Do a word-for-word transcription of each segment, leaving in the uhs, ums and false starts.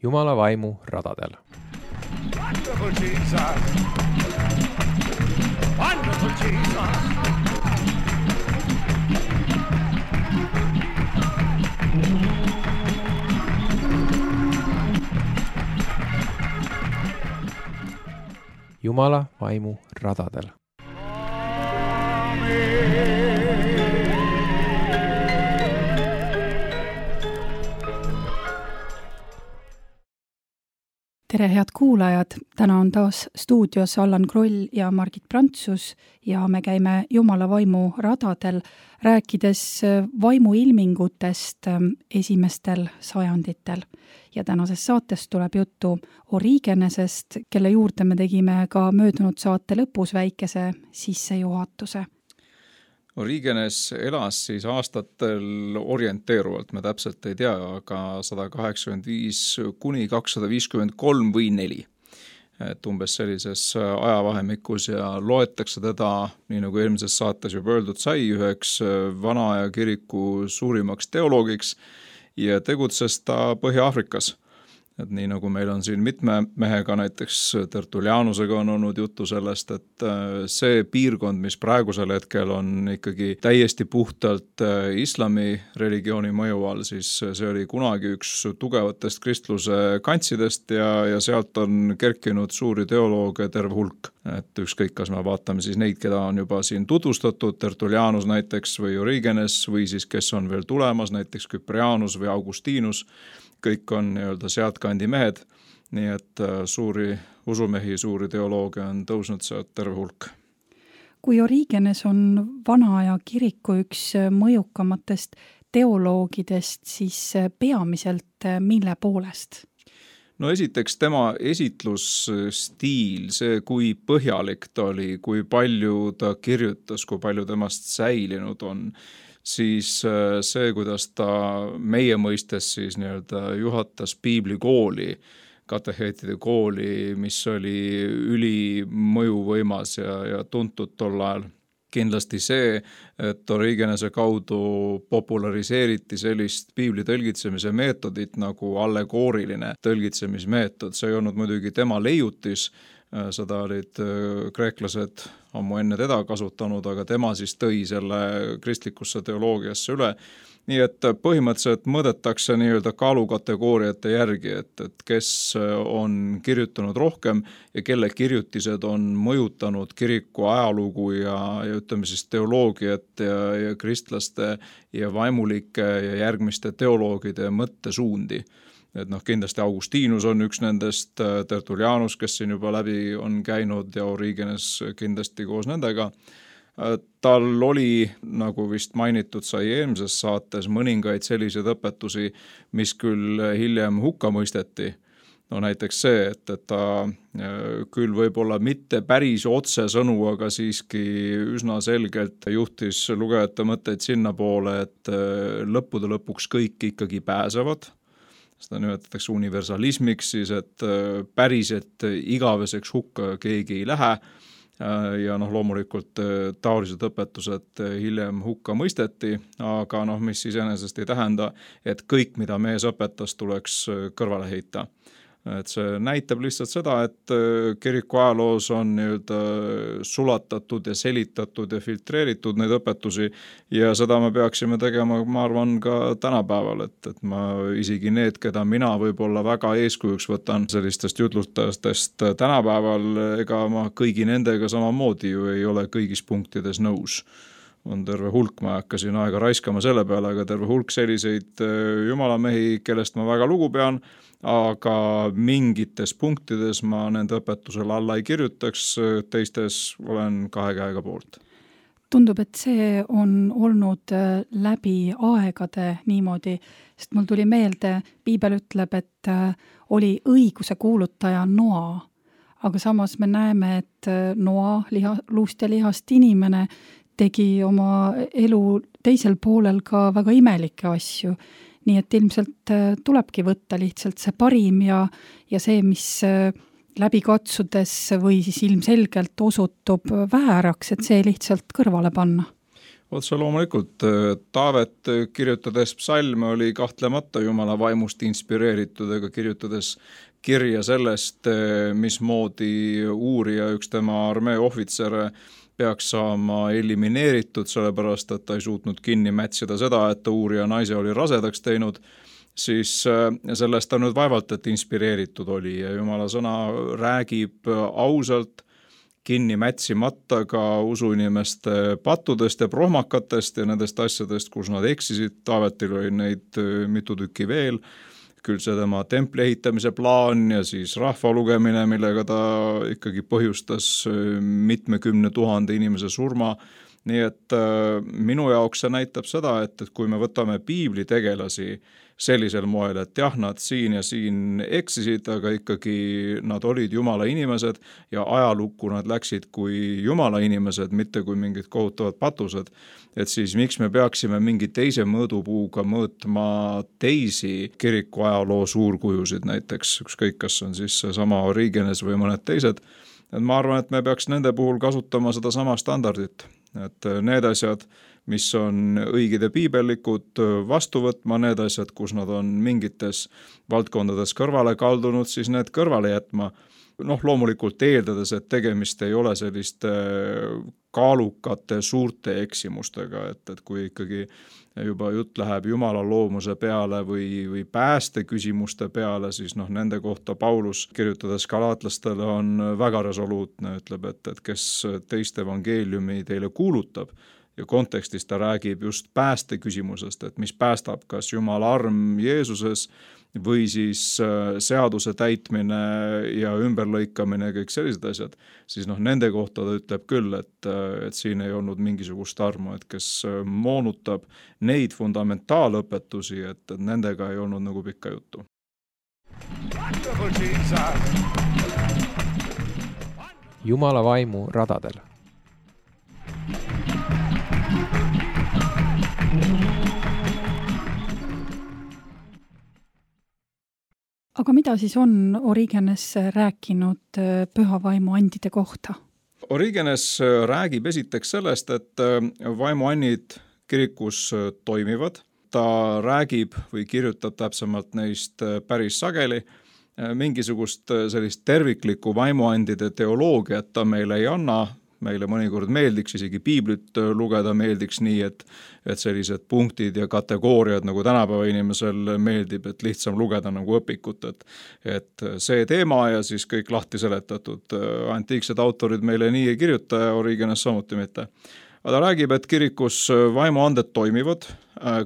Jumala vaimu radadel. Wonderful Jesus! Wonderful Jesus! Jumala vaimu radadel. Tere, head kuulajad! Täna on taas stuudios Allan Kroll ja Margit Prantsus ja me käime Jumala vaimu radadel, rääkides vaimuilmingutest esimestel sajanditel. Ja tänases saates tuleb juttu Origenesest, kelle juurde me tegime ka möödunud saate lõpus väikese sissejuhatuse. Origenes elas siis aastatel orienteeruvalt, me täpselt ei tea, aga sada kaheksakümmend viis kuni kakssada viiskümmend kolm või neli. Et umbes sellises ajavahemikus ja loetakse teda, nii nagu eelmises saates juba öeldud sai, üheks vana aja kiriku suurimaks teoloogiks ja tegutses ta Põhja-Aafrikas. Et nii nagu meil on siin mitme mehega, näiteks Tertulianusega on olnud juttu sellest, et see piirkond, mis praegusel hetkel on ikkagi täiesti puhtalt islami religiooni mõju all, siis see oli kunagi üks tugevatest kristluse kantsidest ja, ja sealt on kerkinud suuri teolooge terve hulk. Et ükskõik, kas me vaatame siis neid, keda on juba siin tutvustatud, Tertulianus näiteks või Origenes või siis kes on veel tulemas, näiteks Kyprianus või Augustinus, kõik on nii-öelda sealtkandi mehed, nii et suuri usumehi, suuri teolooge on tõusnud sealt terve hulk. Kui Origenes on vana aja kiriku üks mõjukamatest teoloogidest, siis peamiselt mille poolest? No esiteks tema esitlusstiil, see kui põhjalik ta oli, kui palju ta kirjutas, kui palju temast säilinud on, siis see, kuidas ta meie mõistes siis nii-öelda juhatas piiblikooli, kateheetide kooli, mis oli ülimõjuvõimas ja, ja tuntud tol ajal. Kindlasti see, et Origenese kaudu populariseeriti sellist piibli tõlgitsemise meetodit nagu allegooriline tõlgitsemismeetod. See ei olnud muidugi tema leiutis, seda olid kreeklased ammu enne teda kasutanud, aga tema siis tõi selle kristlikusse teoloogiasse üle. Nii et põhimõtteliselt mõõdetakse nii-öelda kaalukategooriate järgi, et, et kes on kirjutanud rohkem ja kelle kirjutised on mõjutanud kiriku ajalugu ja, ja ütleme siis teoloogiat ja, ja kristlaste ja vaimulike ja järgmiste teoloogide mõttesuundi. Et noh, kindlasti Augustinus on üks nendest, Tertulianus, kes siin juba läbi on käinud ja Origenes kindlasti koos nendega. Tal oli, nagu vist mainitud sai eelmises saates, mõningaid selliseid õpetusi, mis küll hiljem hukka mõisteti. No näiteks see, et, et ta küll võib-olla mitte päris otsesõnu, aga siiski üsna selgelt juhtis lugejate mõtteid sinna poole, et lõppude lõpuks kõik ikkagi pääsevad. Seda nimetatakse universalismiks, siis et päriselt igaveseks hukka keegi ei lähe ja noh, loomulikult taolised õpetused hiljem hukka mõisteti, aga noh, mis iseenesest ei tähenda, et kõik, mida mees õpetas, tuleks kõrvale heita. Et see näitab lihtsalt seda, et kiriku ajaloos on nii-öelda sulatatud ja selitatud ja filtreeritud neid õpetusi ja seda me peaksime tegema, ma arvan, ka tänapäeval, et, et ma isegi need, keda mina võib-olla väga eeskujuks võtan sellistest jutlustajatest tänapäeval, ega ma kõigi nendega samamoodi ju ei ole kõigis punktides nõus. On terve hulk, ma hakkasin aega raiskama selle peale, aga terve hulk selliseid jumalamehi, kellest ma väga lugu pean, aga mingites punktides ma nende õpetusele alla ei kirjutaks, teistes olen kahe käega poolt. Tundub, et see on olnud läbi aegade niimoodi, sest mul tuli meelde, Piibel ütleb, et oli õiguse kuulutaja Noa, aga samas me näeme, et Noa, liha, luust ja lihast inimene, tegi oma elu teisel poolel ka väga imelikke asju. Nii et ilmselt tulebki võtta lihtsalt see parim ja, ja see, mis läbi katsudes või siis ilmselgelt osutub vääraks, et see lihtsalt kõrvale panna. otse loomulikult, Taavet kirjutades psalme oli kahtlemata Jumala vaimust inspireeritud, ega kirjutades kirja sellest, mismoodi uurija, üks tema armee ohvitsere peaks saama elimineeritud, sellepärast et ta ei suutnud kinni mätsida seda, et ta uurija naise oli rasedaks teinud, siis sellest ta nüüd vaevalt, et inspireeritud oli ja Jumala sõna räägib ausalt, kinni mätsimata ka usuinimeste pattudest ja prohmakatest ja nendest asjadest, kus nad eksisid. Taavetil oli neid mitu tükki veel, küll see tema templi ehitamise plaan ja siis rahva lugemine, millega ta ikkagi põhjustas mitmekümne tuhande inimese surma. Nii et minu jaoks see näitab seda, et, et kui me võtame piibli tegelasi sellisel moel, et jah, nad siin ja siin eksisid, aga ikkagi nad olid Jumala inimesed ja ajalukku nad läksid kui Jumala inimesed, mitte kui mingid kohutavad patused, et siis miks me peaksime mingi teise mõõdupuuga mõõtma teisi kiriku ajaloo suurkujusid, näiteks ükskõik, kas on siis sama Origenes või mõned teised, et ma arvan, et me peaks nende puhul kasutama seda sama standardit, et need asjad, mis on õiged ja piibellikud, vastu võtma, need asjad, kus nad on mingites valdkondades kõrvale kaldunud, siis need kõrvale jätma. Noh, loomulikult eeldades, et tegemist ei ole selliste kaalukate suurte eksimustega, et, et kui ikkagi juba jutt läheb Jumala loomuse peale või, või pääste küsimuste peale, siis noh, nende kohta Paulus kirjutades galaatlastele on väga resoluutne, ütleb, et, et kes teist evangeeliumi teile kuulutab, ja kontekstis ta räägib just pääste küsimusest, et mis päästab, kas Jumala arm Jeesuses või siis seaduse täitmine ja ümberlõikamine ja kõik sellised asjad, siis noh, nende kohta ta ütleb küll, et, et siin ei olnud mingisugust armu, et kes moonutab neid fundamentaalõpetusi, et, et nendega ei olnud nagu pikka juttu. Jumala vaimu radadel. Aga mida siis on Origenes rääkinud püha vaimu andide kohta? Origenes räägib esiteks sellest, et vaimuannid kirikus toimivad. Ta räägib või kirjutab täpsemalt neist päris sageli. Mingisugust sellist terviklikku vaimuandide teoloogiat ta meile ei anna. Meile mõnikord meeldiks isegi piiblit lugeda, meeldiks nii, et, et sellised punktid ja kategooriad nagu tänapäeva inimesel meeldib, et lihtsam lugeda nagu õpikut, et, et see teema ja siis kõik lahti seletatud. Antiiksed autorid meile nii ei kirjuta ja Origenes samuti mitte. Aga ta räägib, et kirikus vaimuanded toimivad,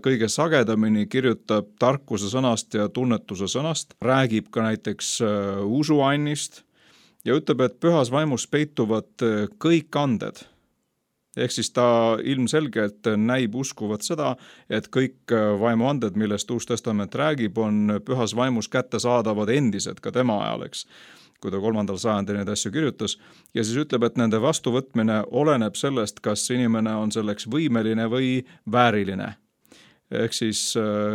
kõige sagedamini kirjutab tarkuse sõnast ja tunnetuse sõnast, räägib ka näiteks usuannist, ja ütleb, et pühas vaimus peituvad kõik anded. Ehk siis ta ilmselgelt näib uskuvat seda, et kõik vaimuanded, millest Uus Testament räägib, on pühas vaimus kättesaadavad endised ka tema ajal, eks, kui ta kolmandal sajandil neid asju kirjutas. Ja siis ütleb, et nende vastuvõtmine oleneb sellest, kas inimene on selleks võimeline või vääriline. Ehk siis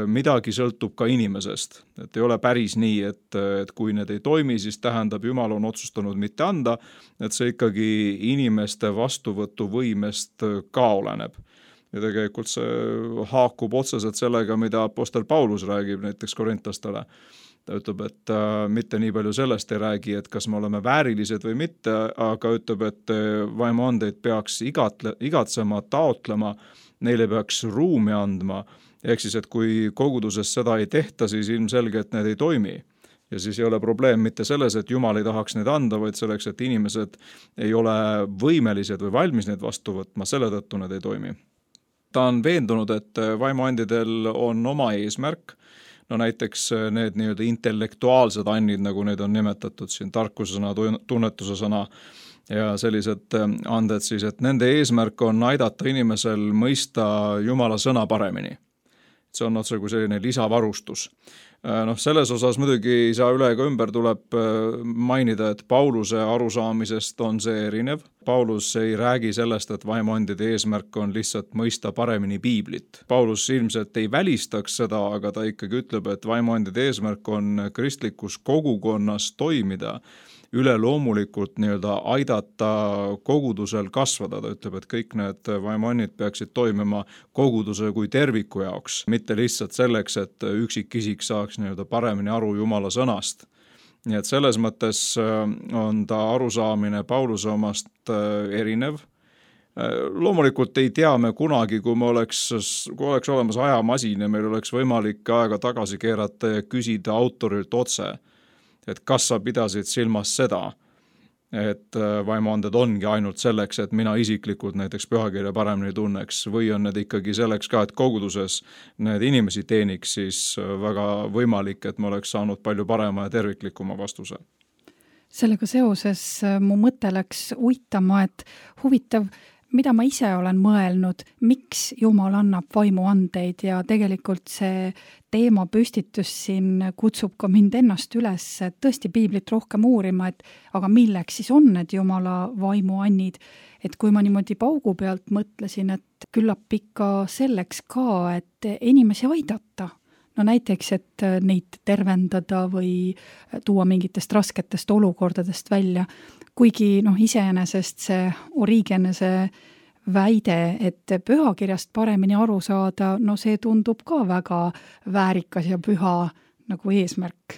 midagi sõltub ka inimesest. Et ei ole päris nii, et, et kui need ei toimi, siis tähendab, Jumal on otsustanud mitte anda, et see ikkagi inimeste vastuvõtuvõimest ka oleneb. Ja tegelikult see haakub otseselt sellega, mida apostel Paulus räägib näiteks korintlastele. Ta ütleb, et mitte nii palju sellest ei räägi, et kas me oleme väärilised või mitte, aga ütleb, et vaimuandeid peaks igatle, igatsema, taotlema, neile peaks ruumi andma. Ehk siis, et kui koguduses seda ei tehta, siis ilmselge, et need ei toimi. Ja siis ei ole probleem mitte selles, et Jumal ei tahaks neid anda, vaid selleks, et inimesed ei ole võimelised või valmis neid vastu võtma, selle tõttu need ei toimi. Ta on veendunud, et vaimuandidel on oma eesmärk, no näiteks need nii-öelda intellektuaalsed annid, nagu neid on nimetatud siin tarkuse sõna, tunnetuse sõna ja sellised anded siis, et nende eesmärk on aidata inimesel mõista Jumala sõna paremini. See on otse kui selline lisavarustus. Noh, selles osas muidugi ei saa üle ega ümber, tuleb mainida, et Pauluse arusaamisest on see erinev. Paulus ei räägi sellest, et vaimuandide eesmärk on lihtsalt mõista paremini piiblit. Paulus ilmselt ei välistaks seda, aga ta ikkagi ütleb, et vaimuandide eesmärk on kristlikus kogukonnas toimida üleloomulikult nii-öelda aidata kogudusel kasvada. Ta ütleb, et kõik need vaimuannid peaksid toimima koguduse kui terviku jaoks, mitte lihtsalt selleks, et üksikisik saaks nii-öelda paremini aru Jumala sõnast. Nii et selles mõttes on ta arusaamine Pauluse omast erinev. Loomulikult ei tea me kunagi, kui me oleks, kui oleks olemas ajamasin ja meil oleks võimalik aega tagasi keerata ja küsida autorilt otse, et kas sa pidasid silmas seda, et vaimuanded ongi ainult selleks, et mina isiklikult näiteks pühakirja paremini tunneks, või on need ikkagi selleks ka, et koguduses need inimesi teeniks, siis väga võimalik, et me oleks saanud palju parema ja terviklikuma vastuse. Sellega seoses mu mõte läks uitama, et huvitav, mida ma ise olen mõelnud, miks Jumal annab vaimuandeid ja tegelikult see teema püstitus siin kutsub ka mind ennast üles, et tõesti piiblit rohkem uurima, et aga milleks siis on need Jumala vaimuannid, et kui ma niimoodi paugu pealt mõtlesin, et küllap ikka selleks ka, et inimesi aidata. No näiteks, et neid tervendada või tuua mingitest rasketest olukordadest välja, kuigi noh, iseenesest see Origenese väide, et pühakirjast paremini aru saada, no see tundub ka väga väärikas ja püha nagu eesmärk.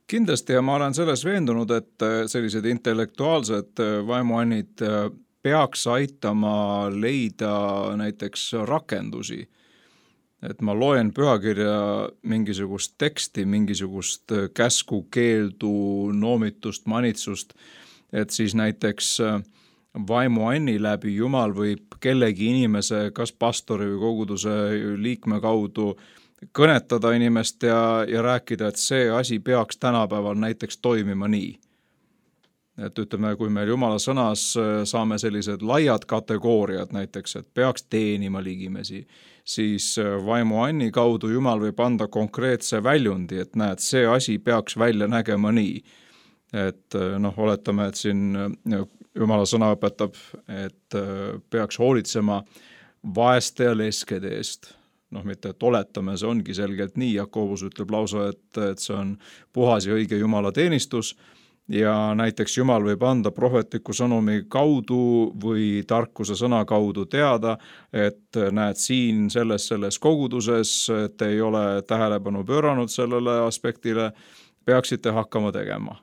Kindlasti ja ma olen selles veendunud, et sellised intellektuaalsed vaimuannid peaks aitama leida näiteks rakendusi. Et ma loen pühakirja mingisugust teksti, mingisugust käsku, keeldu, noomitust, manitsust, et siis näiteks vaimuanni läbi Jumal võib kellegi inimese, kas pastori või koguduse liikme kaudu kõnetada inimest ja, ja rääkida, et see asi peaks tänapäeval näiteks toimima nii. Et ütleme, kui meil Jumala sõnas saame sellised laiad kategooriad näiteks, et peaks teenima ligimesi, siis vaimuanni kaudu Jumal võib anda konkreetse väljundi, et näed, see asi peaks välja nägema nii. Et noh, oletame, et siin Jumala sõna õpetab, et peaks hoolitsema vaeste ja leskede eest. Noh, mitte et oletame, see ongi selgelt nii, Jakobus ütleb lausa, et, et see on puhas ja õige Jumala teenistus, ja näiteks Jumal võib anda prohvetliku sõnumi kaudu või tarkuse sõna kaudu teada, et näed siin selles, selles koguduses, et ei ole tähelepanu pööranud sellele aspektile, peaksite hakkama tegema.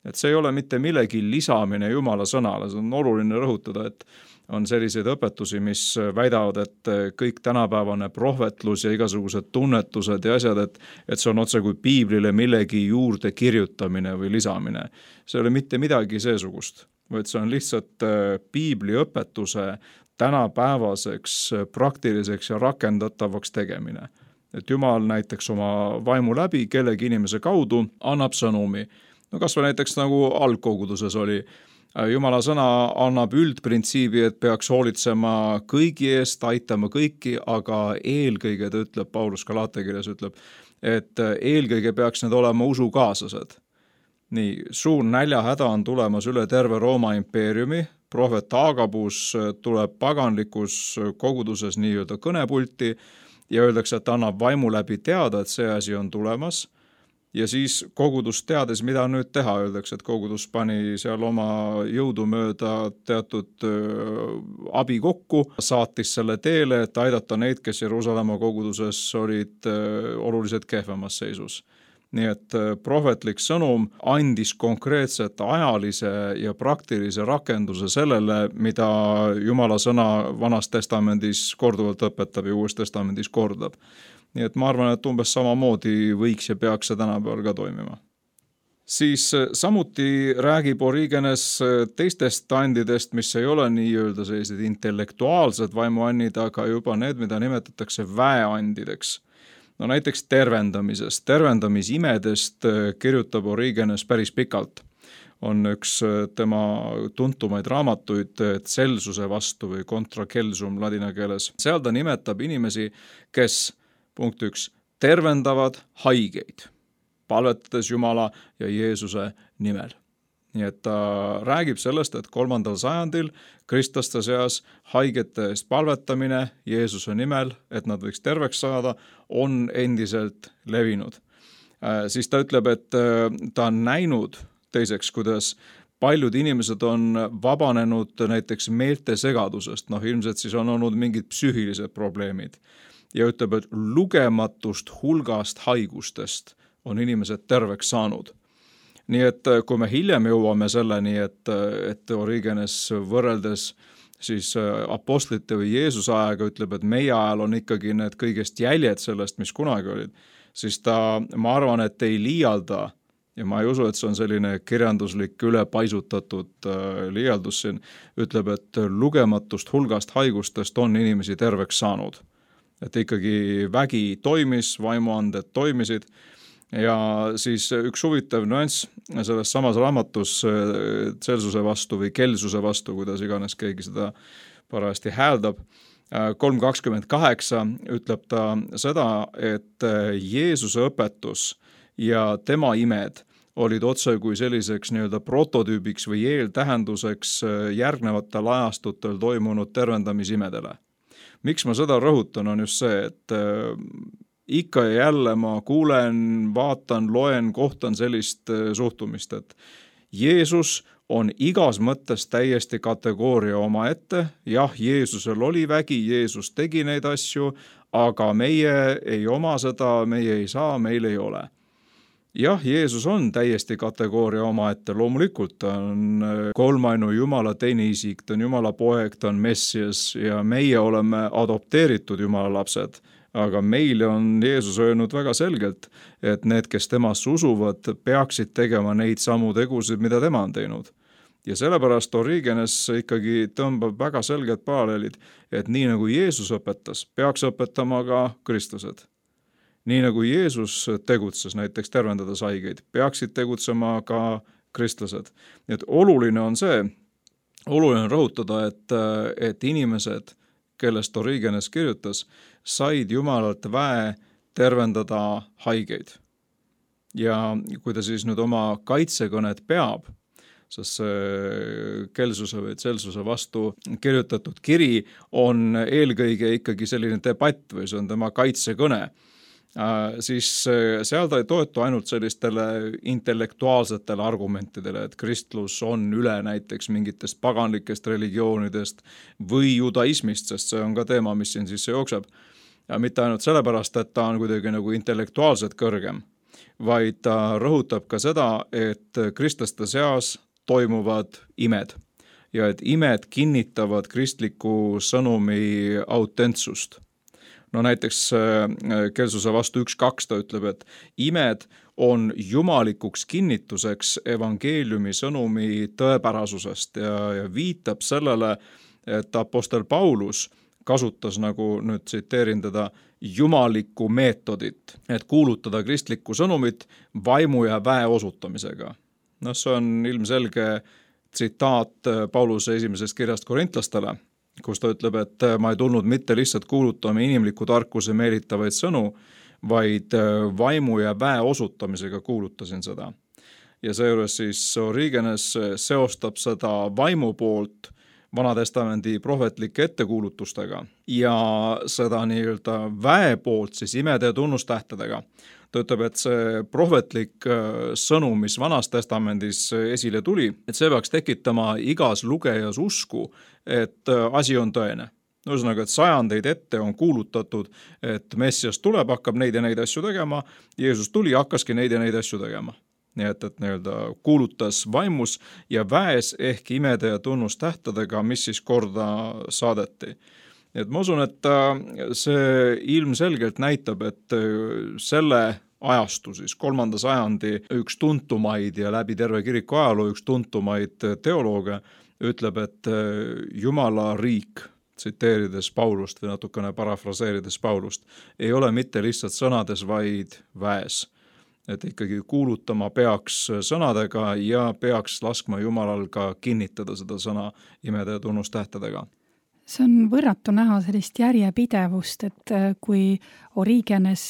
Et see ei ole mitte millegi lisamine Jumala sõnale, see on oluline rõhutada, et on selliseid õpetusi, mis väidavad, et kõik tänapäevane prohvetlus ja igasugused tunnetused ja asjad, et, et see on otse kui piiblile millegi juurde kirjutamine või lisamine. See ei ole mitte midagi seesugust, vaid see on lihtsalt piibli õpetuse tänapäevaseks praktiliseks ja rakendatavaks tegemine. Et Jumal näiteks oma vaimu läbi kellegi inimese kaudu annab sõnumi. No kas või näiteks nagu algkoguduses oli, Jumala sõna annab üldprintsiibi, et peaks hoolitsema kõigi eest, aitama kõiki, aga eelkõige, ta ütleb, Paulus Galaatia-kirjas ütleb, et eelkõige peaks need olema usukaaslased. Nii, suur näljahäda on tulemas üle terve Rooma impeeriumi, prohvet Agabus tuleb paganlikus koguduses nii-öelda kõnepulti ja öeldakse, et annab vaimu läbi teada, et see asi on tulemas. Ja siis kogudus teades, mida nüüd teha, öeldakse, et kogudus pani seal oma jõudu mööda teatud abi kokku, saatis selle teele, et aidata neid, kes Jeruusalemma koguduses olid oluliselt kehvemas seisus. Nii et prohvetlik sõnum andis konkreetset ajalise ja praktilise rakenduse sellele, mida Jumala sõna Vanas testamendis korduvalt õpetab ja Uues testamendis kordab. Nii et ma arvan, et umbes samamoodi võiks ja peaks see tänapäeval ka toimima. Siis samuti räägib Origenes teistest andidest, mis ei ole nii-öelda sellised intellektuaalsed vaimuannid, aga juba need, mida nimetatakse väeandideks. No näiteks tervendamisest, tervendamisimedest kirjutab Origenes päris pikalt. On üks tema tuntumaid raamatuid Celsuse vastu või contra Celsum ladina keeles. Seal ta nimetab inimesi, kes punkt üks, tervendavad haigeid, palvetades Jumala ja Jeesuse nimel. Nii et ta räägib sellest, et kolmandal sajandil kristlaste seas haigete eest palvetamine Jeesuse nimel, et nad võiks terveks saada, on endiselt levinud. Siis ta ütleb, et ta on näinud teiseks, kuidas paljud inimesed on vabanenud näiteks meeltesegadusest, noh ilmselt siis on olnud mingid psüühilised probleemid ja ütleb, et lugematust hulgast haigustest on inimesed terveks saanud. Nii et kui me hiljem jõuame selleni, et, et Origenes võrreldes siis apostlite või Jeesuse ajaga ütleb, et meie ajal on ikkagi need kõigest jäljed sellest, mis kunagi olid, siis ta, ma arvan, et ei liialda ja ma ei usu, et see on selline kirjanduslik ülepaisutatud liialdus siin, ütleb, et lugematust hulgast haigustest on inimesi terveks saanud. Et ikkagi vägi toimis, vaimuanded toimisid ja siis üks huvitav nüanss selles samas raamatus Celsuse vastu või Kelsuse vastu, kuidas iganes keegi seda parajasti hääldab, kolm kakskümmend kaheksa ütleb ta seda, et Jeesuse õpetus ja tema imed olid otse kui selliseks nii-öelda prototüübiks või eeltähenduseks järgnevatel ajastutel toimunud tervendamisimedele. Miks ma seda rõhutan, on just see, et ikka ja jälle ma kuulen, vaatan, loen, kohtan sellist suhtumist, et Jeesus on igas mõttes täiesti kategooria oma ette. Jah, Jeesusel oli vägi, Jeesus tegi neid asju, aga meie ei oma seda, meie ei saa, meil ei ole. Jah, Jeesus on täiesti kategooria oma ette, loomulikult ta on kolmainu Jumala teine isik, ta on Jumala poeg, ta on Messias ja meie oleme adopteeritud Jumala lapsed. Aga meile on Jeesus öelnud väga selgelt, et need, kes temast usuvad, peaksid tegema neid samu tegusid, mida tema on teinud. Ja sellepärast Origenes ikkagi tõmbab väga selged paralleelid, et nii nagu Jeesus õpetas, peaks õpetama ka kristlased. Nii nagu Jeesus tegutses näiteks tervendades haigeid, peaksid tegutsema ka kristlased. Nii et oluline on see, oluline on rõhutada, et, et inimesed, kellest Origenes kirjutas, said Jumalalt väe tervendada haigeid. Ja kui ta siis nüüd oma kaitsekõnet peab, sest see Kelsuse või Celsuse vastu kirjutatud kiri on eelkõige ikkagi selline debatt või see on tema kaitsekõne, siis seal ta ei toetu ainult sellistele intellektuaalsetele argumentidele, et kristlus on üle näiteks mingitest paganlikest religioonidest või judaismist, sest see on ka teema, mis siin sisse jookseb. Ja mitte ainult sellepärast, et ta on kuidagi nagu intellektuaalselt kõrgem, vaid ta rõhutab ka seda, et kristlaste seas toimuvad imed ja et imed kinnitavad kristliku sõnumi autentsust. No näiteks Kelsuse vastu üks kaks ta ütleb, et imed on jumalikuks kinnituseks evangeeliumi sõnumi tõepärasusest ja, ja viitab sellele, et apostel Paulus kasutas, nagu nüüd tsiteerin teda, jumalikku meetodit, et kuulutada kristlikku sõnumit vaimu ja väe osutamisega. No see on ilmselge tsitaat Pauluse esimesest kirjast korintlastele, kus ta ütleb, et ma ei tulnud mitte lihtsalt kuulutama inimliku tarkuse meelitavaid sõnu, vaid vaimu ja väe osutamisega kuulutasin seda. Ja seejuures siis Origenes seostab seda vaimu poolt Vanatestamendi prohvetlike ettekuulutustega ja seda nii-öelda väe poolt siis imede ja tunnustähtedega. Ta ütleb, et see prohvetlik sõnum, mis Vanas testamendis esile tuli, et see peaks tekitama igas lugejas usku, et asi on tõene. Ühesõnaga, et sajandeid ette on kuulutatud, et Messias tuleb, hakkab neid ja neid asju tegema, Jeesus tuli, hakkaski neid ja neid asju tegema. Nii et, et nii-öelda kuulutas vaimus ja väes ehk imede ja tunnustähtedega, mis siis korda saadeti. Et ma usun, et see ilmselgelt näitab, et selle ajastu siis kolmanda sajandi üks tuntumaid ja läbi terve kiriku ajaloo üks tuntumaid teolooge ütleb, et Jumala riik, tsiteerides Paulust või natukene parafraseerides Paulust, ei ole mitte lihtsalt sõnades, vaid väes. Et ikkagi kuulutama peaks sõnadega ja peaks laskma Jumalal ka kinnitada seda sõna imede ja tunnustähtedega. See on võrratu näha sellist järjepidevust, et kui Origenes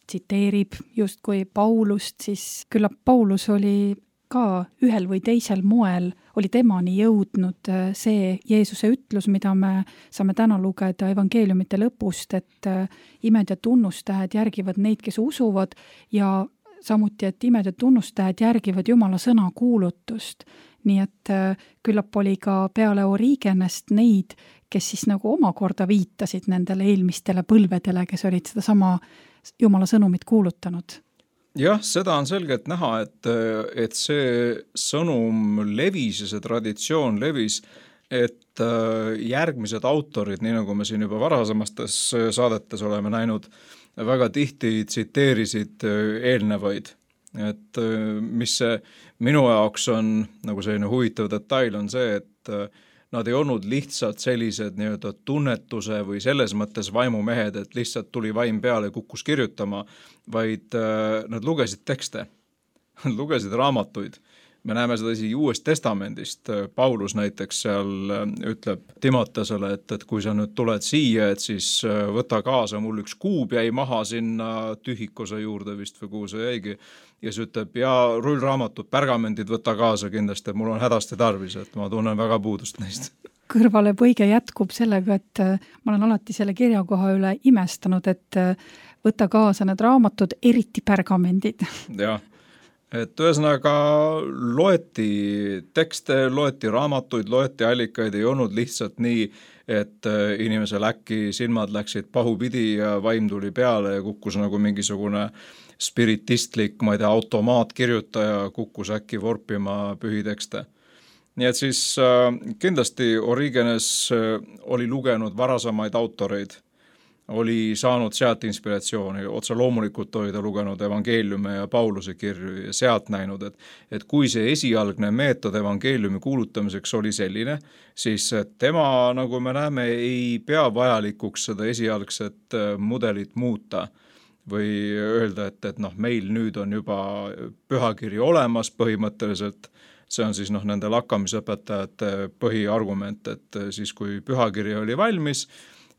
tsiteerib justkui Paulust, siis küllap Paulus oli ka ühel või teisel moel, oli temani jõudnud see Jeesuse ütlus, mida me saame täna lugeda evangeeliumite lõpust, et imed ja tunnustähed järgivad neid, kes usuvad ja samuti, et imede tunnustajad järgivad Jumala sõna kuulutust. Nii et küllap oli ka peale Origenest neid, kes siis nagu omakorda viitasid nendele eelmistele põlvedele, kes olid seda sama Jumala sõnumit kuulutanud. Jah, seda on selgelt näha, et, et see sõnum levis ja see traditsioon levis, et järgmised autorid, nii nagu me siin juba varasemastes saadetes oleme näinud, väga tihti tsiteerisid eelnevaid. Et mis see minu jaoks on nagu selline huvitav detail on see, et nad ei olnud lihtsalt sellised nii-öelda tunnetuse või selles mõttes vaimumehed, et lihtsalt tuli vaim peale ja kukkus kirjutama, vaid nad lugesid tekste, nad lugesid raamatuid. Me näeme seda isegi Uuest Testamendist. Paulus näiteks seal ütleb Timotesele, et, et kui sa nüüd tuled siia, et siis võta kaasa, mul üks kuub jäi maha sinna tühikuse juurde vist või kuhu see jäigi. Ja siis ütleb, ja rullraamatud, pergamendid võta kaasa kindlasti, et mul on hädasti tarvis, et ma tunnen väga puudust neist. Kõrvale põige jätkub sellega, et ma olen alati selle kirjakoha üle imestanud, et võta kaasa need raamatud, eriti pergamendid. Jah. Et ühesõnaga loeti tekste, loeti raamatuid, loeti allikaid, ei olnud lihtsalt nii, et inimesel äkki silmad läksid pahupidi ja vaim tuli peale ja kukkus nagu mingisugune spiritistlik, ma ei tea, automaatkirjutaja kukkus äkki vorpima pühitekste. Nii et siis kindlasti Origenes oli lugenud varasemaid autoreid, oli saanud sealt inspiratsiooni, otse loomulikult oli ta lugenud evangeeliume ja Pauluse kirju ja sealt näinud, et, et kui see esialgne meetod evangeeliumi kuulutamiseks oli selline, siis tema, nagu me näeme, ei pea vajalikuks seda esialgset mudelit muuta või öelda, et, et noh, meil nüüd on juba pühakiri olemas põhimõtteliselt, see on siis noh, nende lakkamisõpetajate põhiargument, et siis kui pühakiri oli valmis,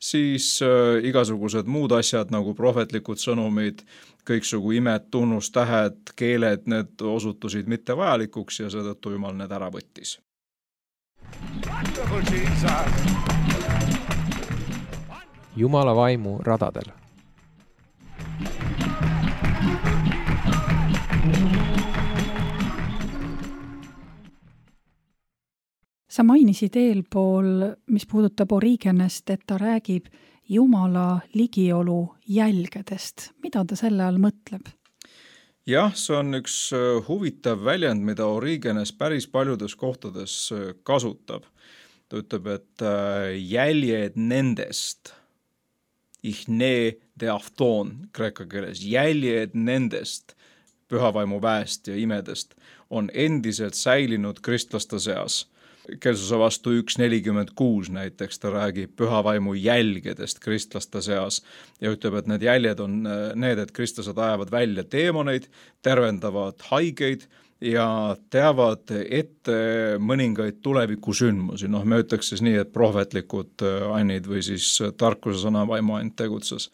siis äh, igasugused muud asjad nagu prohvetlikud sõnumid, kõiksugu imed, tunnustähed, keeled, need osutusid mitte vajalikuks ja seetõttu Jumal need ära võttis. Jumala vaimu radadel. Sa mainisid eelpool, mis puudutab Origenest, et ta räägib Jumala ligiolu jälgedest. Mida ta selle all mõtleb? Jah, see on üks huvitav väljend, mida Origenes päris paljudes kohtades kasutab. Ta ütleb, et jäljed nendest, ihne de afton kreeka keeles, jäljed nendest pühavaimu väest ja imedest on endiselt säilinud kristlaste seas. Kelsuse vastu üks nelikümmend kuus näiteks ta räägib pühavaimu jälgedest kristlaste seas ja ütleb, et need jäljed on need, et kristlased ajavad välja teemoneid, tervendavad haigeid ja teavad ette mõningaid tulevikusündmusi. Noh, me ütleks siis nii, et prohvetlikud annid või siis tarkuse sõna vaimu ainult tegutses.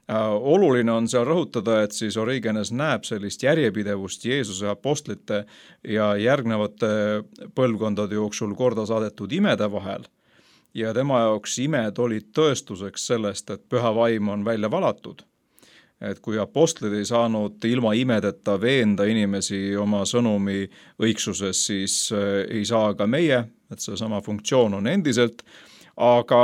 Oluline on seal rõhutada, et siis Origenes näeb sellist järjepidevust Jeesuse apostlite ja järgnevate põlvkondade jooksul korda saadetud imede vahel. Ja tema jaoks imed olid tõestuseks sellest, et püha vaim on välja valatud. Et kui apostlid ei saanud ilma imedeta veenda inimesi oma sõnumi õigsuses, siis ei saa ka meie, et see sama funktsioon on endiselt. Aga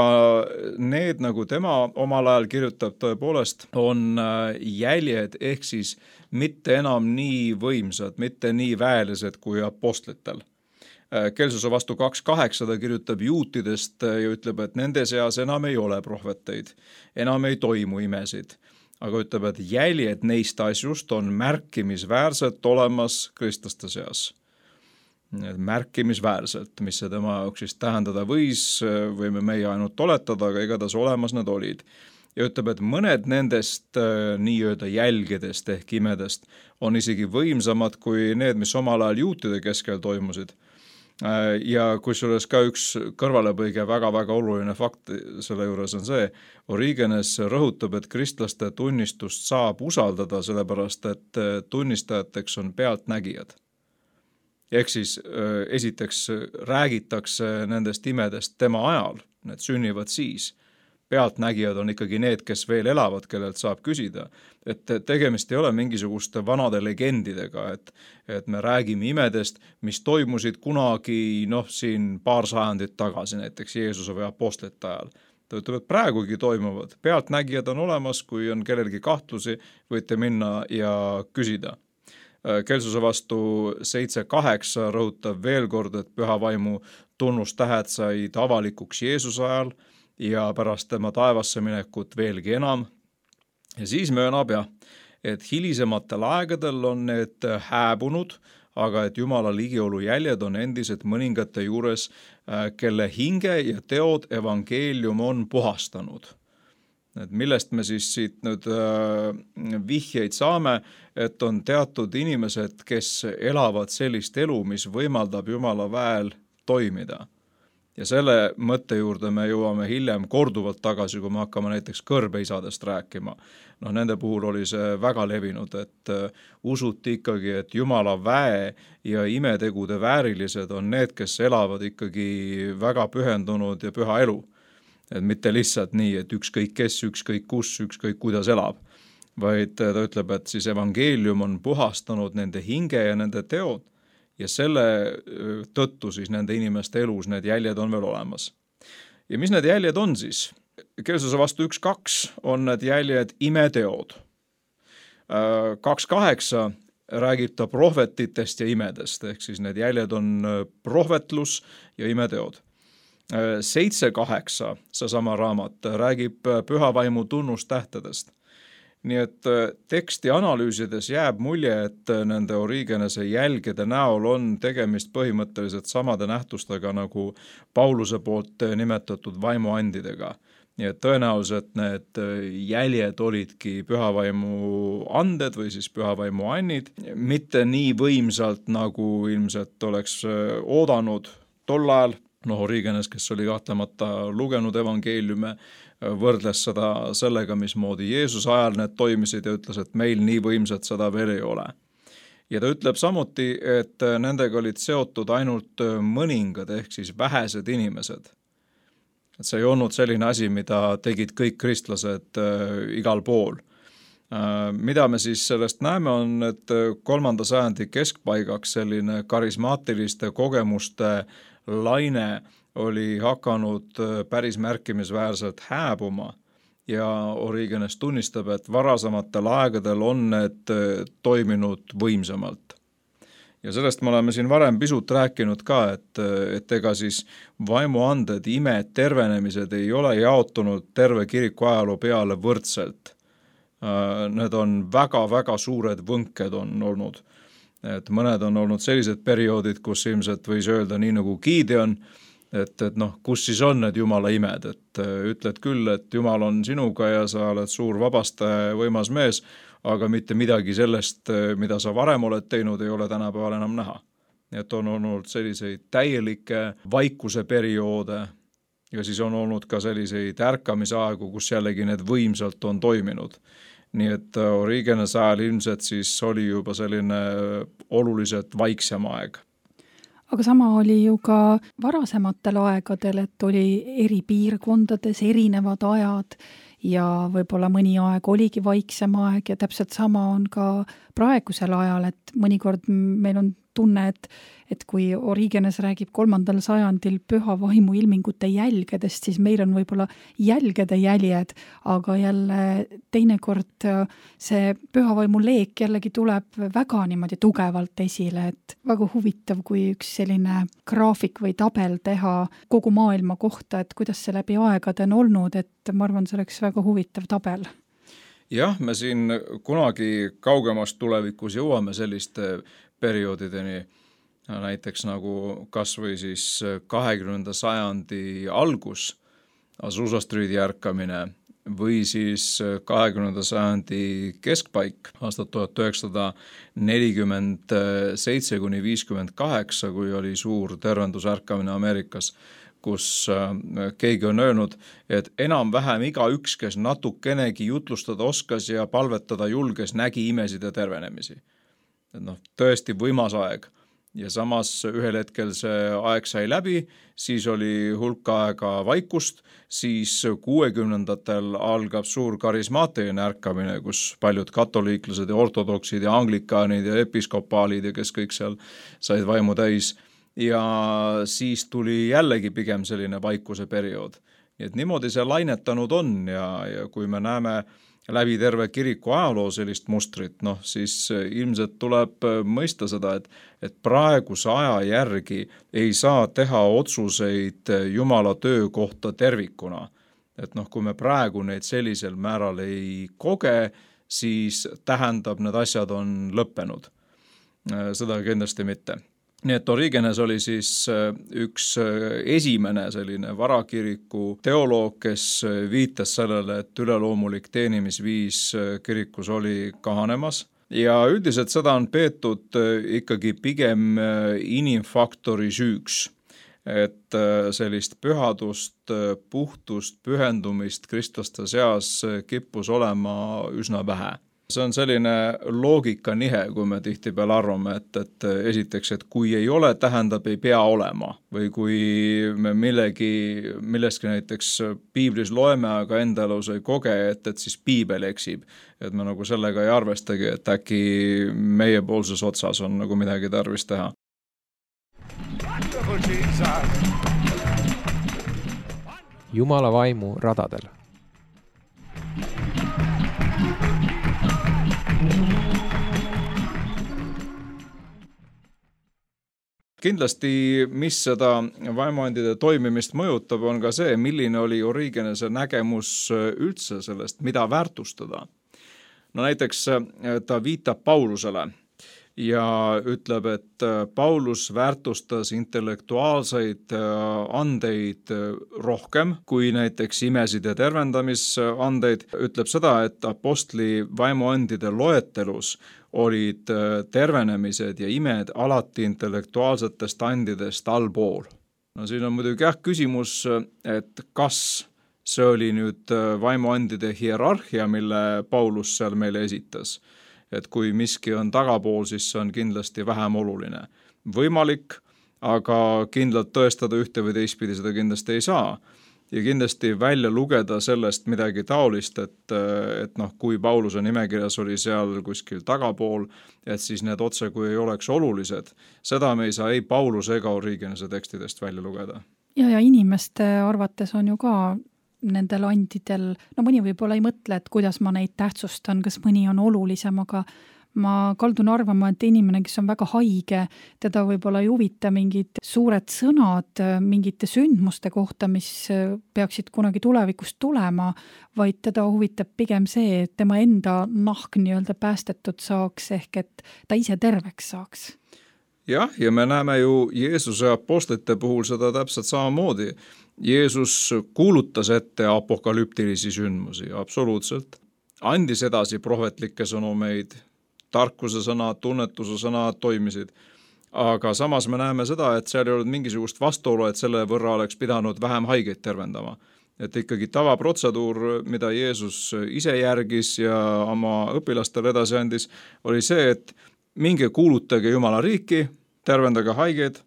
need, nagu tema omal ajal kirjutab tõepoolest, on jäljed ehk siis mitte enam nii võimsad, mitte nii väelised kui apostlitel. Kelsuse vastu kaks kaheksa ta kirjutab juutidest ja ütleb, et nende seas enam ei ole prohveteid, enam ei toimu imesid. Aga ütleb, et jäljed neist asjust on märkimisväärselt olemas kristlaste seas. Märkimisväärselt, mis see tema jaoks siis tähendada võis, võime meie ainult oletada, aga igatahes olemas need olid. Ja ütleb, et mõned nendest nii-öelda jälgedest ehk imedest on isegi võimsamad kui need, mis omal ajal juutide keskel toimusid. Ja kusjuures ka üks kõrvalepõige väga-väga oluline fakt selle juures on see, Origenes rõhutab, et kristlaste tunnistust saab usaldada, sellepärast et tunnistajateks on pealtnägijad. Ehk siis esiteks räägitakse nendest imedest tema ajal, need sünnivad siis. pealtnägijad on ikkagi need, kes veel elavad, kellelt saab küsida. Et tegemist ei ole mingisuguste vanade legendidega, et, et me räägime imedest, mis toimusid kunagi noh, siin paar sajandit tagasi, näiteks Jeesuse või apostlite ajal. Ta ütleb, et praegugi toimuvad. Pealtnägijad on olemas, kui on kellelgi kahtlusi, võite minna ja küsida. Kelsuse vastu seitse kaheksa rõhutab veel kord, et püha vaimu tunnustähed said avalikuks Jeesuse ajal ja pärast tema taevasse minekut veelgi enam. Ja siis möönab jah, et hilisematel aegadel on need hääbunud, aga et Jumala ligiolu jäljed on endised mõningate juures, kelle hinge ja teod evangeelium on puhastanud. Et millest me siis siit nüüd vihjeid saame, et on teatud inimesed, kes elavad sellist elu, mis võimaldab Jumala väel toimida. Ja selle mõtte juurde me jõuame hiljem korduvalt tagasi, kui me hakkame näiteks kõrbeisadest rääkima. No, nende puhul oli see väga levinud, et usuti ikkagi, et Jumala väe ja imetegude väärilised on need, kes elavad ikkagi väga pühendunud ja püha elu. Et mitte lihtsalt nii, et ükskõik kes, ükskõik kus, ükskõik kuidas elab, vaid ta ütleb, et siis evangeelium on puhastanud nende hinge ja nende teod ja selle tõttu siis nende inimeste elus need jäljed on veel olemas. Ja mis need jäljed on siis? Kelsuse vastu üks kaks on need jäljed imeteod. kaks kaheksa räägib ta prohvetitest ja imedest, ehk siis need jäljed on prohvetlus ja imeteod. seitse kaheksa, seesama raamat, räägib püha vaimu tunnustähtedest. Nii et teksti analüüsides jääb mulje, et nende Origenese jälgede näol on tegemist põhimõtteliselt samade nähtustega nagu Pauluse poolt nimetatud vaimuandidega. Nii et tõenäoliselt need jäljed olidki pühavaimu anded või siis pühavaimu annid, mitte nii võimsalt, nagu ilmselt oleks oodanud tol ajal. No, Origenes, kes oli kahtlemata lugenud evangeeliume, võrdles seda sellega, mismoodi Jeesus ajal need toimisid ja ütles, et meil nii võimsat seda veel ei ole. Ja ta ütleb samuti, et nendega olid seotud ainult mõningad ehk siis vähesed inimesed. Et see ei olnud selline asi, mida tegid kõik kristlased igal pool. Mida me siis sellest näeme on, et kolmanda sajandi keskpaigaks selline karismaatiliste kogemuste laine oli hakanud päris märkimisväärselt hääbuma ja Origenes tunnistab, et varasematel aegadel on need toiminud võimsamalt. Ja sellest me oleme siin varem pisut rääkinud ka, et, et ega siis vaimuanded, imed, tervenemised ei ole jaotunud terve kiriku ajaloo peale võrdselt. Need on väga-väga suured võnked on olnud. Et mõned on olnud sellised perioodid, kus ilmselt võis öelda nii nagu Gideon, et, et noh, kus siis on need Jumala imed, et ütled küll, et Jumal on sinuga ja sa oled suur vabastaja võimas mees, aga mitte midagi sellest, mida sa varem oled teinud, ei ole tänapäeval enam näha. Et on olnud selliseid täielikke vaikuse perioode ja siis on olnud ka selliseid ärkamisaegu, kus jällegi need võimsalt on toiminud. Nii et Origenes ajal ilmselt siis oli juba selline oluliselt vaiksem aeg. Aga sama oli ju ka varasematel aegadel, et oli eri piirkondades erinevad ajad ja võib-olla mõni aeg oligi vaiksem aeg ja täpselt sama on ka praegusel ajal, et mõnikord meil on tunne, et, et kui Origenes räägib kolmandal sajandil püha vaimu ilmingute jälgedest, siis meil on võib-olla jälgede jäljed, aga jälle teinekord see püha vaimu leek jällegi tuleb väga niimoodi tugevalt esile, et väga huvitav, kui üks selline graafik või tabel teha kogu maailma kohta, et kuidas see läbi aegade on olnud, et ma arvan, see oleks väga huvitav tabel. Jah, me siin kunagi kaugemast tulevikus jõuame selliste perioodideni, näiteks nagu kas või siis kahekümnenda sajandi algus, Azusa Streeti ärkamine või siis kahekümnenda sajandi keskpaik, aastat tuhat üheksasada nelikümmend seitse kuni viiskümmend kaheksa, kui oli suur tervendusärkamine Ameerikas, kus keegi on öelnud, et enam-vähem igaüks, kes natukenegi jutlustada oskas ja palvetada julges, nägi imesid ja tervenemisi. Et noh, tõesti võimas aeg. ja samas ühel hetkel see aeg sai läbi, siis oli hulk aega vaikust, siis kuuekümnendatel algab suur karismaatiline ärkamine, kus paljud katoliiklased ja ortodoksid ja anglikaanid ja episkopaalid ja kes kõik seal said vaimu täis. Ja siis tuli jällegi pigem selline vaikuse periood. Nii et niimoodi see lainetanud on ja, ja kui me näeme läbi terve kiriku ajaloo sellist mustrit, noh siis ilmselt tuleb mõista seda, et, et praeguse aja järgi ei saa teha otsuseid Jumala töö kohta tervikuna. Et noh, kui me praegu neid sellisel määral ei koge, siis tähendab, need asjad on lõppenud. Seda kindlasti mitte. Nii et Origenes oli siis üks esimene selline varakiriku teoloog, kes viitas sellele, et üleloomulik teenimisviis kirikus oli kahanemas. Ja üldiselt seda on peetud ikkagi pigem inimfaktori süüks, et sellist pühadust, puhtust, pühendumist kristlaste seas kippus olema üsna vähe. See on selline loogika nihe, kui me tihtipeale arvame, et, et esiteks, et kui ei ole, tähendab ei pea olema. Või kui me millegi, millestki näiteks piiblis loeme, aga enda elus ei koge, et, et siis piibel eksib. Et me nagu sellega ei arvestagi, et äkki meie poolses otsas on nagu midagi tarvis teha. Jumala vaimu radadel. Kindlasti, mis seda vaimuandide toimimist mõjutab, on ka see, milline oli Origenese nägemus üldse sellest, mida väärtustada. No näiteks ta viitab Paulusele ja ütleb, et Paulus väärtustas intellektuaalseid andeid rohkem kui näiteks imesid ja tervendamisandeid. Ütleb seda, et apostli vaimuandide loetelus olid tervenemised ja imed alati intellektuaalsetest andidest allpool. No siin on muidugi jah küsimus, et kas see oli nüüd vaimuandide hierarhia, mille Paulus seal meile esitas. Et kui miski on tagapool, siis see on kindlasti vähem oluline. Võimalik, aga kindlalt tõestada ühte või teistpidi seda kindlasti ei saa. Ja kindlasti välja lugeda sellest midagi taolist, et, et noh, kui Pauluse nimekirjas oli seal kuskil tagapool, et siis need otse kui ei oleks olulised. Seda me ei saa ei Pauluse ega Origenese tekstidest välja lugeda. Ja, ja inimeste arvates on ju ka nendel andidel, no mõni võib-olla ei mõtle, et kuidas ma neid tähtsustan, kas mõni on olulisem, aga ma kaldun arvama, et inimene, kes on väga haige, teda võib-olla ei huvita mingid suured sõnad mingite sündmuste kohta, mis peaksid kunagi tulevikust tulema, vaid teda huvitab pigem see, et tema enda nahk nii-öelda päästetud saaks, ehk et ta ise terveks saaks. Jah, ja me näeme ju Jeesuse apostlite puhul seda täpselt samamoodi. Jeesus kuulutas ette apokalüptilisi sündmusi, absoluutselt. Andis edasi prohvetlikke sõnumeid, tarkuse sõna, tunnetuse sõna toimisid. Aga samas me näeme seda, et seal ei olnud mingisugust vastuolu, et selle võrra oleks pidanud vähem haigeid tervendama. Et ikkagi tavaprotseduur, mida Jeesus ise järgis ja oma õpilastele edasi andis, oli see, et minge kuulutage Jumala riiki, tervendage haigeid,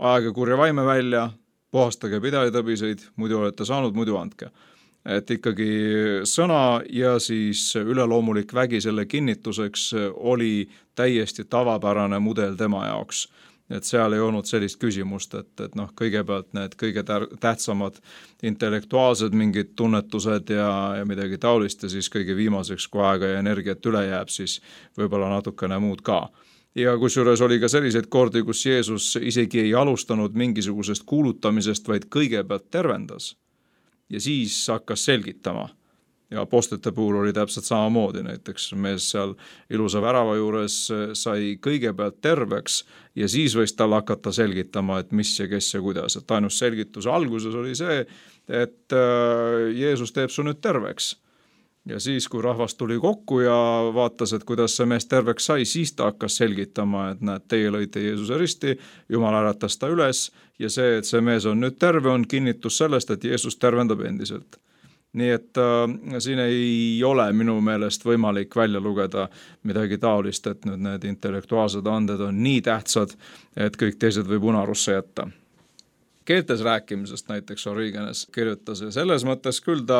ajage kurja vaime välja, puhastage pidalitõbiseid, muidu olete saanud, muidu andke. Et ikkagi sõna ja siis üleloomulik vägi selle kinnituseks oli täiesti tavapärane mudel tema jaoks. Et seal ei olnud sellist küsimust, et, et noh, kõigepealt need kõige tähtsamad intellektuaalsed mingid tunnetused ja, ja midagi taolist ja siis kõige viimaseks, kui aega ja energiat üle jääb, siis võib-olla natukene muud ka. Ja kusjuures oli ka selliseid kordi, kus Jeesus isegi ei alustanud mingisugusest kuulutamisest, vaid kõigepealt tervendas. Ja siis hakkas selgitama. Ja apostlite puhul oli täpselt samamoodi, näiteks mees seal ilusa värava juures sai kõigepealt terveks ja siis võis tal hakata selgitama, et mis ja kes ja kuidas. Et ainus selgituse alguses oli see, et Jeesus teeb su nüüd terveks. Ja siis, kui rahvas tuli kokku ja vaatas, et kuidas see mees terveks sai, siis ta hakkas selgitama, et näed, teie lõite Jeesuse risti, Jumal äratas ta üles ja see, et see mees on nüüd terve, on kinnitus sellest, et Jeesus tervendab endiselt. nii et äh, siin ei ole minu meelest võimalik välja lugeda midagi taolist, et nüüd need intellektuaalsed anded on nii tähtsad, et kõik teised võib unarusse jätta. Keeltes rääkimisest näiteks Origenes kirjutas ja selles mõttes küll ta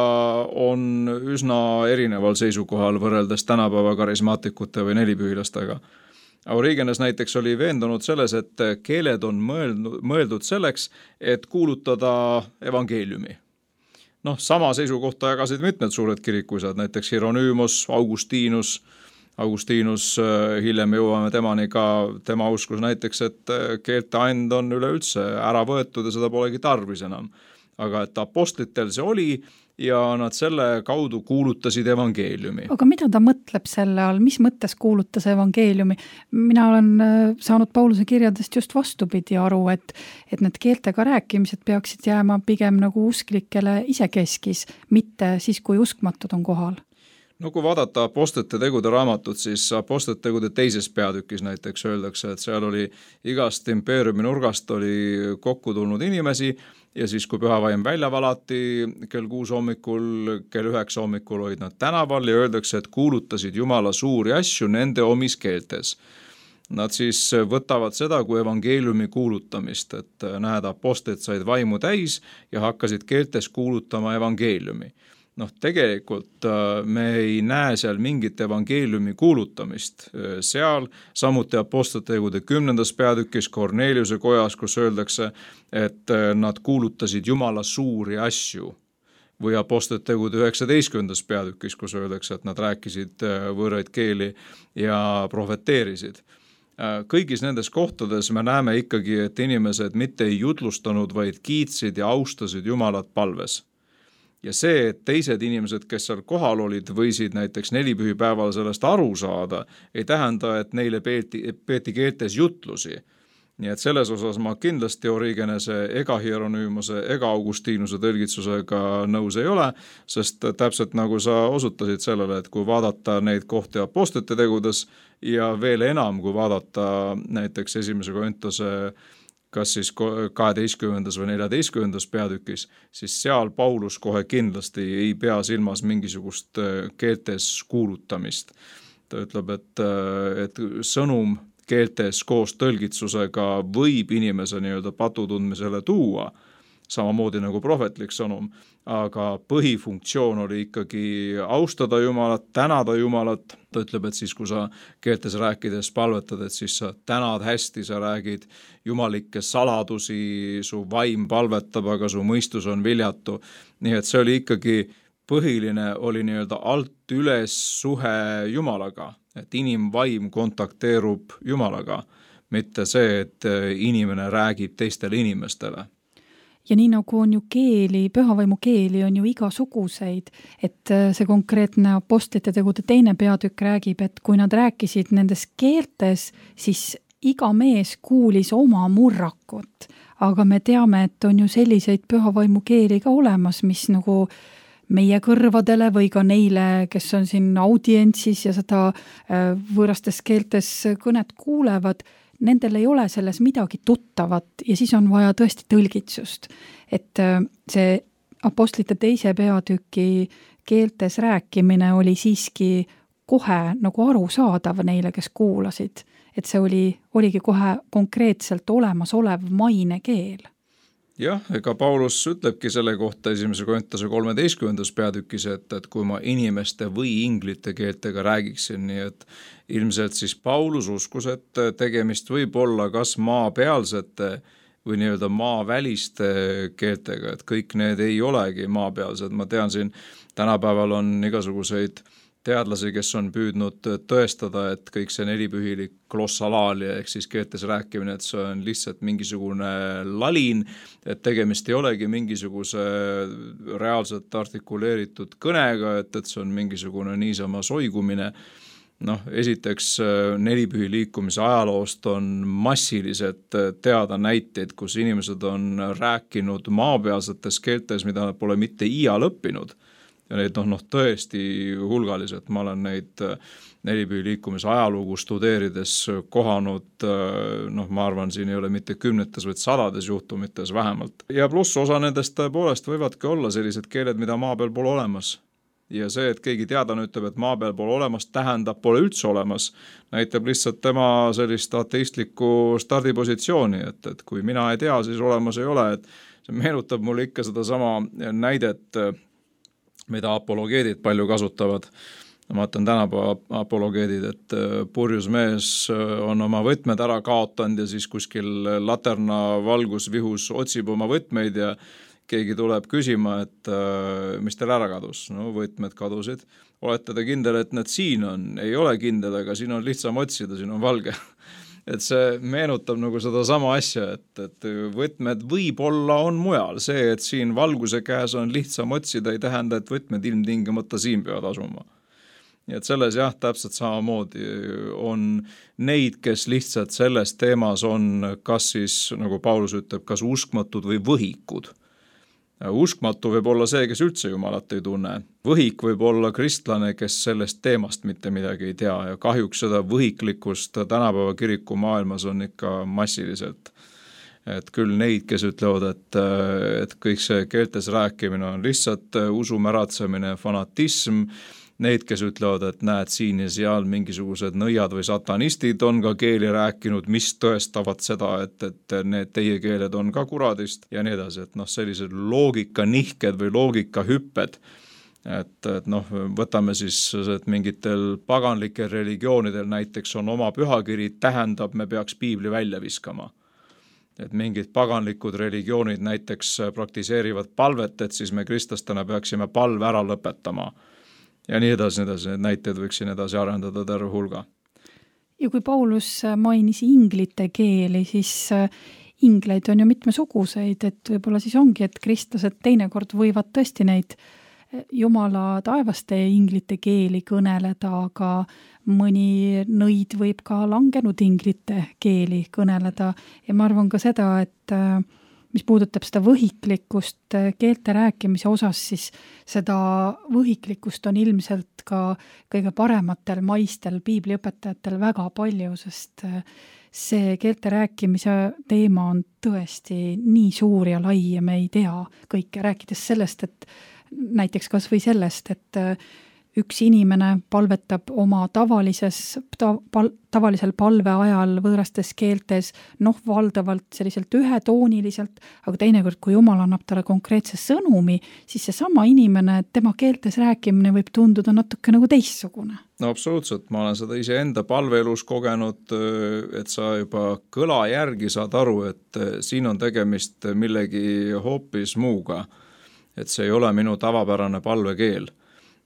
on üsna erineval seisukohal võrreldes tänapäeva karismaatikute või nelipühilastega. Origenes näiteks oli veendunud selles, et keeled on mõeldud, mõeldud selleks, et kuulutada evangeeliumi. Noh, sama seisukohta jagasid mitmed suured kirikuisad, näiteks Hieronymos, Augustinus, Augustinus, hiljem jõuame temani ka, tema uskus näiteks, et keelte and on üleüldse ära võetud ja seda polegi tarvis enam. Aga et apostlitel see oli ja nad selle kaudu kuulutasid evangeeliumi. Aga mida ta mõtleb selle all, mis mõttes kuulutas evangeeliumi? Mina olen saanud Pauluse kirjadest just vastupidi aru, et, et need keeltega rääkimised peaksid jääma pigem nagu usklikele isekeskis, mitte siis, kui uskmatud on kohal. No kui vaadata apostlite tegude raamatut, siis apostlite tegude teises peatükis näiteks öeldakse, et seal oli igast impeeriumi nurgast oli kokku tulnud inimesi ja siis kui pühavaim välja valati kell kuus hommikul, kell üheksa hommikul olid nad tänaval ja öeldakse, et kuulutasid Jumala suuri asju nende omis keeltes. Nad siis võtavad seda kui evangeeliumi kuulutamist, et näed, apostlid said vaimu täis ja hakkasid keeltes kuulutama evangeeliumi. Noh, tegelikult me ei näe seal mingit evangeeliumi kuulutamist seal, samuti apostlite tegude kümnendas peatükis Korneliuse kojas, kus öeldakse, et nad kuulutasid Jumala suuri asju. Või apostlite tegude üheksateistkümnendas peatükis, kus öeldakse, et nad rääkisid võõraid keeli ja profeteerisid. Kõigis nendes kohtades me näeme ikkagi, et inimesed mitte ei jutlustanud, vaid kiitsid ja austasid Jumalat palves. Ja see, et teised inimesed, kes seal kohal olid, võisid näiteks nelipühipäeval sellest aru saada, ei tähenda, et neile peeti, peeti keeltes jutlusi. Nii et selles osas ma kindlasti Origenese ega Hieronymose ega Augustinuse tõlgitsusega nõus ei ole, sest täpselt nagu sa osutasid sellele, et kui vaadata neid kohti apostlite tegudes ja veel enam, kui vaadata näiteks esimese Korintuse kas siis kaheteistkümnendas või neljateistkümnendas peatükis, siis seal Paulus kohe kindlasti ei pea silmas mingisugust keeltes kuulutamist. Ta ütleb, et, et sõnum keeltes koos tõlgitsusega võib inimese nii-öelda patutundmisele tuua, samamoodi nagu prohvetlik sõnum, aga põhifunktsioon oli ikkagi austada Jumalat, tänada Jumalat. Ta ütleb, et siis kui sa keeltes rääkides palvetad, et siis sa tänad hästi, sa räägid jumalikke saladusi, su vaim palvetab, aga su mõistus on viljatu. Nii et see oli ikkagi põhiline, oli nii-öelda alt üles suhe Jumalaga, et inimvaim kontakteerub Jumalaga, mitte see, et inimene räägib teistele inimestele. Ja nii nagu on ju keeli, pühavaimu keeli on ju igasuguseid, et see konkreetne apostlite tegude teine peatükk räägib, et kui nad rääkisid nendes keeltes, siis iga mees kuulis oma murrakut, aga me teame, et on ju selliseid pühavaimu keeli ka olemas, mis nagu meie kõrvadele või ka neile, kes on siin audientsis ja seda võõrastes keeltes kõnet kuulevad, nendel ei ole selles midagi tuttavat ja siis on vaja tõesti tõlgitsust. Et see apostlite teise peatüki keeltes rääkimine oli siiski kohe nagu arusaadav neile, kes kuulasid. Et see oli, oligi kohe konkreetselt olemas olev maine keel. Jah, ega Paulus ütlebki selle kohta esimese Korintuse kolmeteistkümnendas peatükis, et, et kui ma inimeste või inglite keeltega räägiksin, nii et ilmselt siis Paulus uskus, et tegemist võib olla kas maapealsete või nii-öelda maaväliste keeltega, et kõik need ei olegi maapealsed. Ma tean siin, tänapäeval on igasuguseid teadlasi, kes on püüdnud tõestada, et kõik see nelipühilik glossalaalia ehk siis keeltes rääkimine, et see on lihtsalt mingisugune lalin, et tegemist ei olegi mingisuguse reaalselt artikuleeritud kõnega, et, et see on mingisugune niisama soigumine. Noh, esiteks nelipühi liikumise ajaloost on massiliselt teada näiteid, kus inimesed on rääkinud maapealsetes keeltes, mida nad pole mitte iial õppinud. ja neid noh, noh tõesti hulgaliselt, ma olen neid Nelipühi liikumise ajalugu studeerides kohanud, noh ma arvan, siin ei ole mitte kümnetes, vaid sadades juhtumites vähemalt. Ja pluss osa nendest tõepoolest võivadki olla sellised keeled, mida maa peal pole olemas. Ja see, et keegi teadlane ütleb, et maa peal pole olemas, tähendab, pole üldse olemas, näitab lihtsalt tema sellist ateistlikku stardipositsiooni, et, et kui mina ei tea, siis olemas ei ole, et see meenutab mulle ikka seda sama näidet, mida apologeedid palju kasutavad. Ma vaatan tänapäeva apologeedid, et purjus mees on oma võtmed ära kaotanud ja siis kuskil laterna valgusvihus otsib oma võtmeid ja keegi tuleb küsima, et mis teil ära kadus. No võtmed kadusid. Olete te kindel, et need siin on? Ei ole kindel, aga siin on lihtsam otsida, siin on valge. Et see meenutab nagu seda sama asja, et, et võtmed võib-olla on mujal. See, et siin valguse käes on lihtsam otsida, ei tähenda, et võtmed ilmtingimata siin peavad asuma. Nii et selles jah, täpselt samamoodi on neid, kes lihtsalt selles teemas on, kas siis, nagu Paulus ütleb, kas uskmatud või võhikud. Uskmatu võib olla see, kes üldse Jumalat ei tunne. Võhik võib olla kristlane, kes sellest teemast mitte midagi ei tea ja kahjuks seda võhiklikkust tänapäeva kiriku maailmas on ikka massiliselt. Et küll neid, kes ütlevad, et, et kõik see keeltes rääkimine on lihtsalt usumäratsemine, fanatism, neid, kes ütlevad, et näed siin ja seal mingisugused nõiad või satanistid on ka keeli rääkinud, mis tõestavad seda, et, et need teie keeled on ka kuradist ja nii edasi, et noh, sellised loogika nihked või loogika hüpped, et, et noh, võtame siis, et mingitel paganlikel religioonidel näiteks on oma pühakiri, tähendab, me peaks piibli välja viskama. Et mingid paganlikud religioonid näiteks praktiseerivad palvet, et siis me kristlastena peaksime palve ära lõpetama. Ja nii edasi, nii edasi, need näited võiksin edasi arendada terve hulga. Ja kui Paulus mainis inglite keeli, siis ingleid on ju mitmesuguseid, et võib-olla siis ongi, et kristlased teinekord võivad tõesti neid Jumala taevaste inglite keeli kõneleda, aga mõni nõid võib ka langenud inglite keeli kõneleda ja ma arvan ka seda, et mis puudutab seda võhiklikkust keelte rääkimise osas, siis seda võhiklikkust on ilmselt ka kõige parematel maistel piibliõpetajatel väga palju, sest see keelte rääkimise teema on tõesti nii suur ja lai ja me ei tea kõike, rääkides sellest, et näiteks kas või sellest, et üks inimene palvetab oma tavalises, ta, pal, tavalisel palve ajal võõrastes keeltes, noh valdavalt selliselt ühetooniliselt, aga teinekord, kui Jumal annab talle konkreetse sõnumi, siis see sama inimene, tema keeltes rääkimine võib tunduda natuke nagu teistsugune. No absoluutselt, ma olen seda ise enda palveelus kogenud, et sa juba kõla järgi saad aru, et siin on tegemist millegi hoopis muuga, et see ei ole minu tavapärane palvekeel.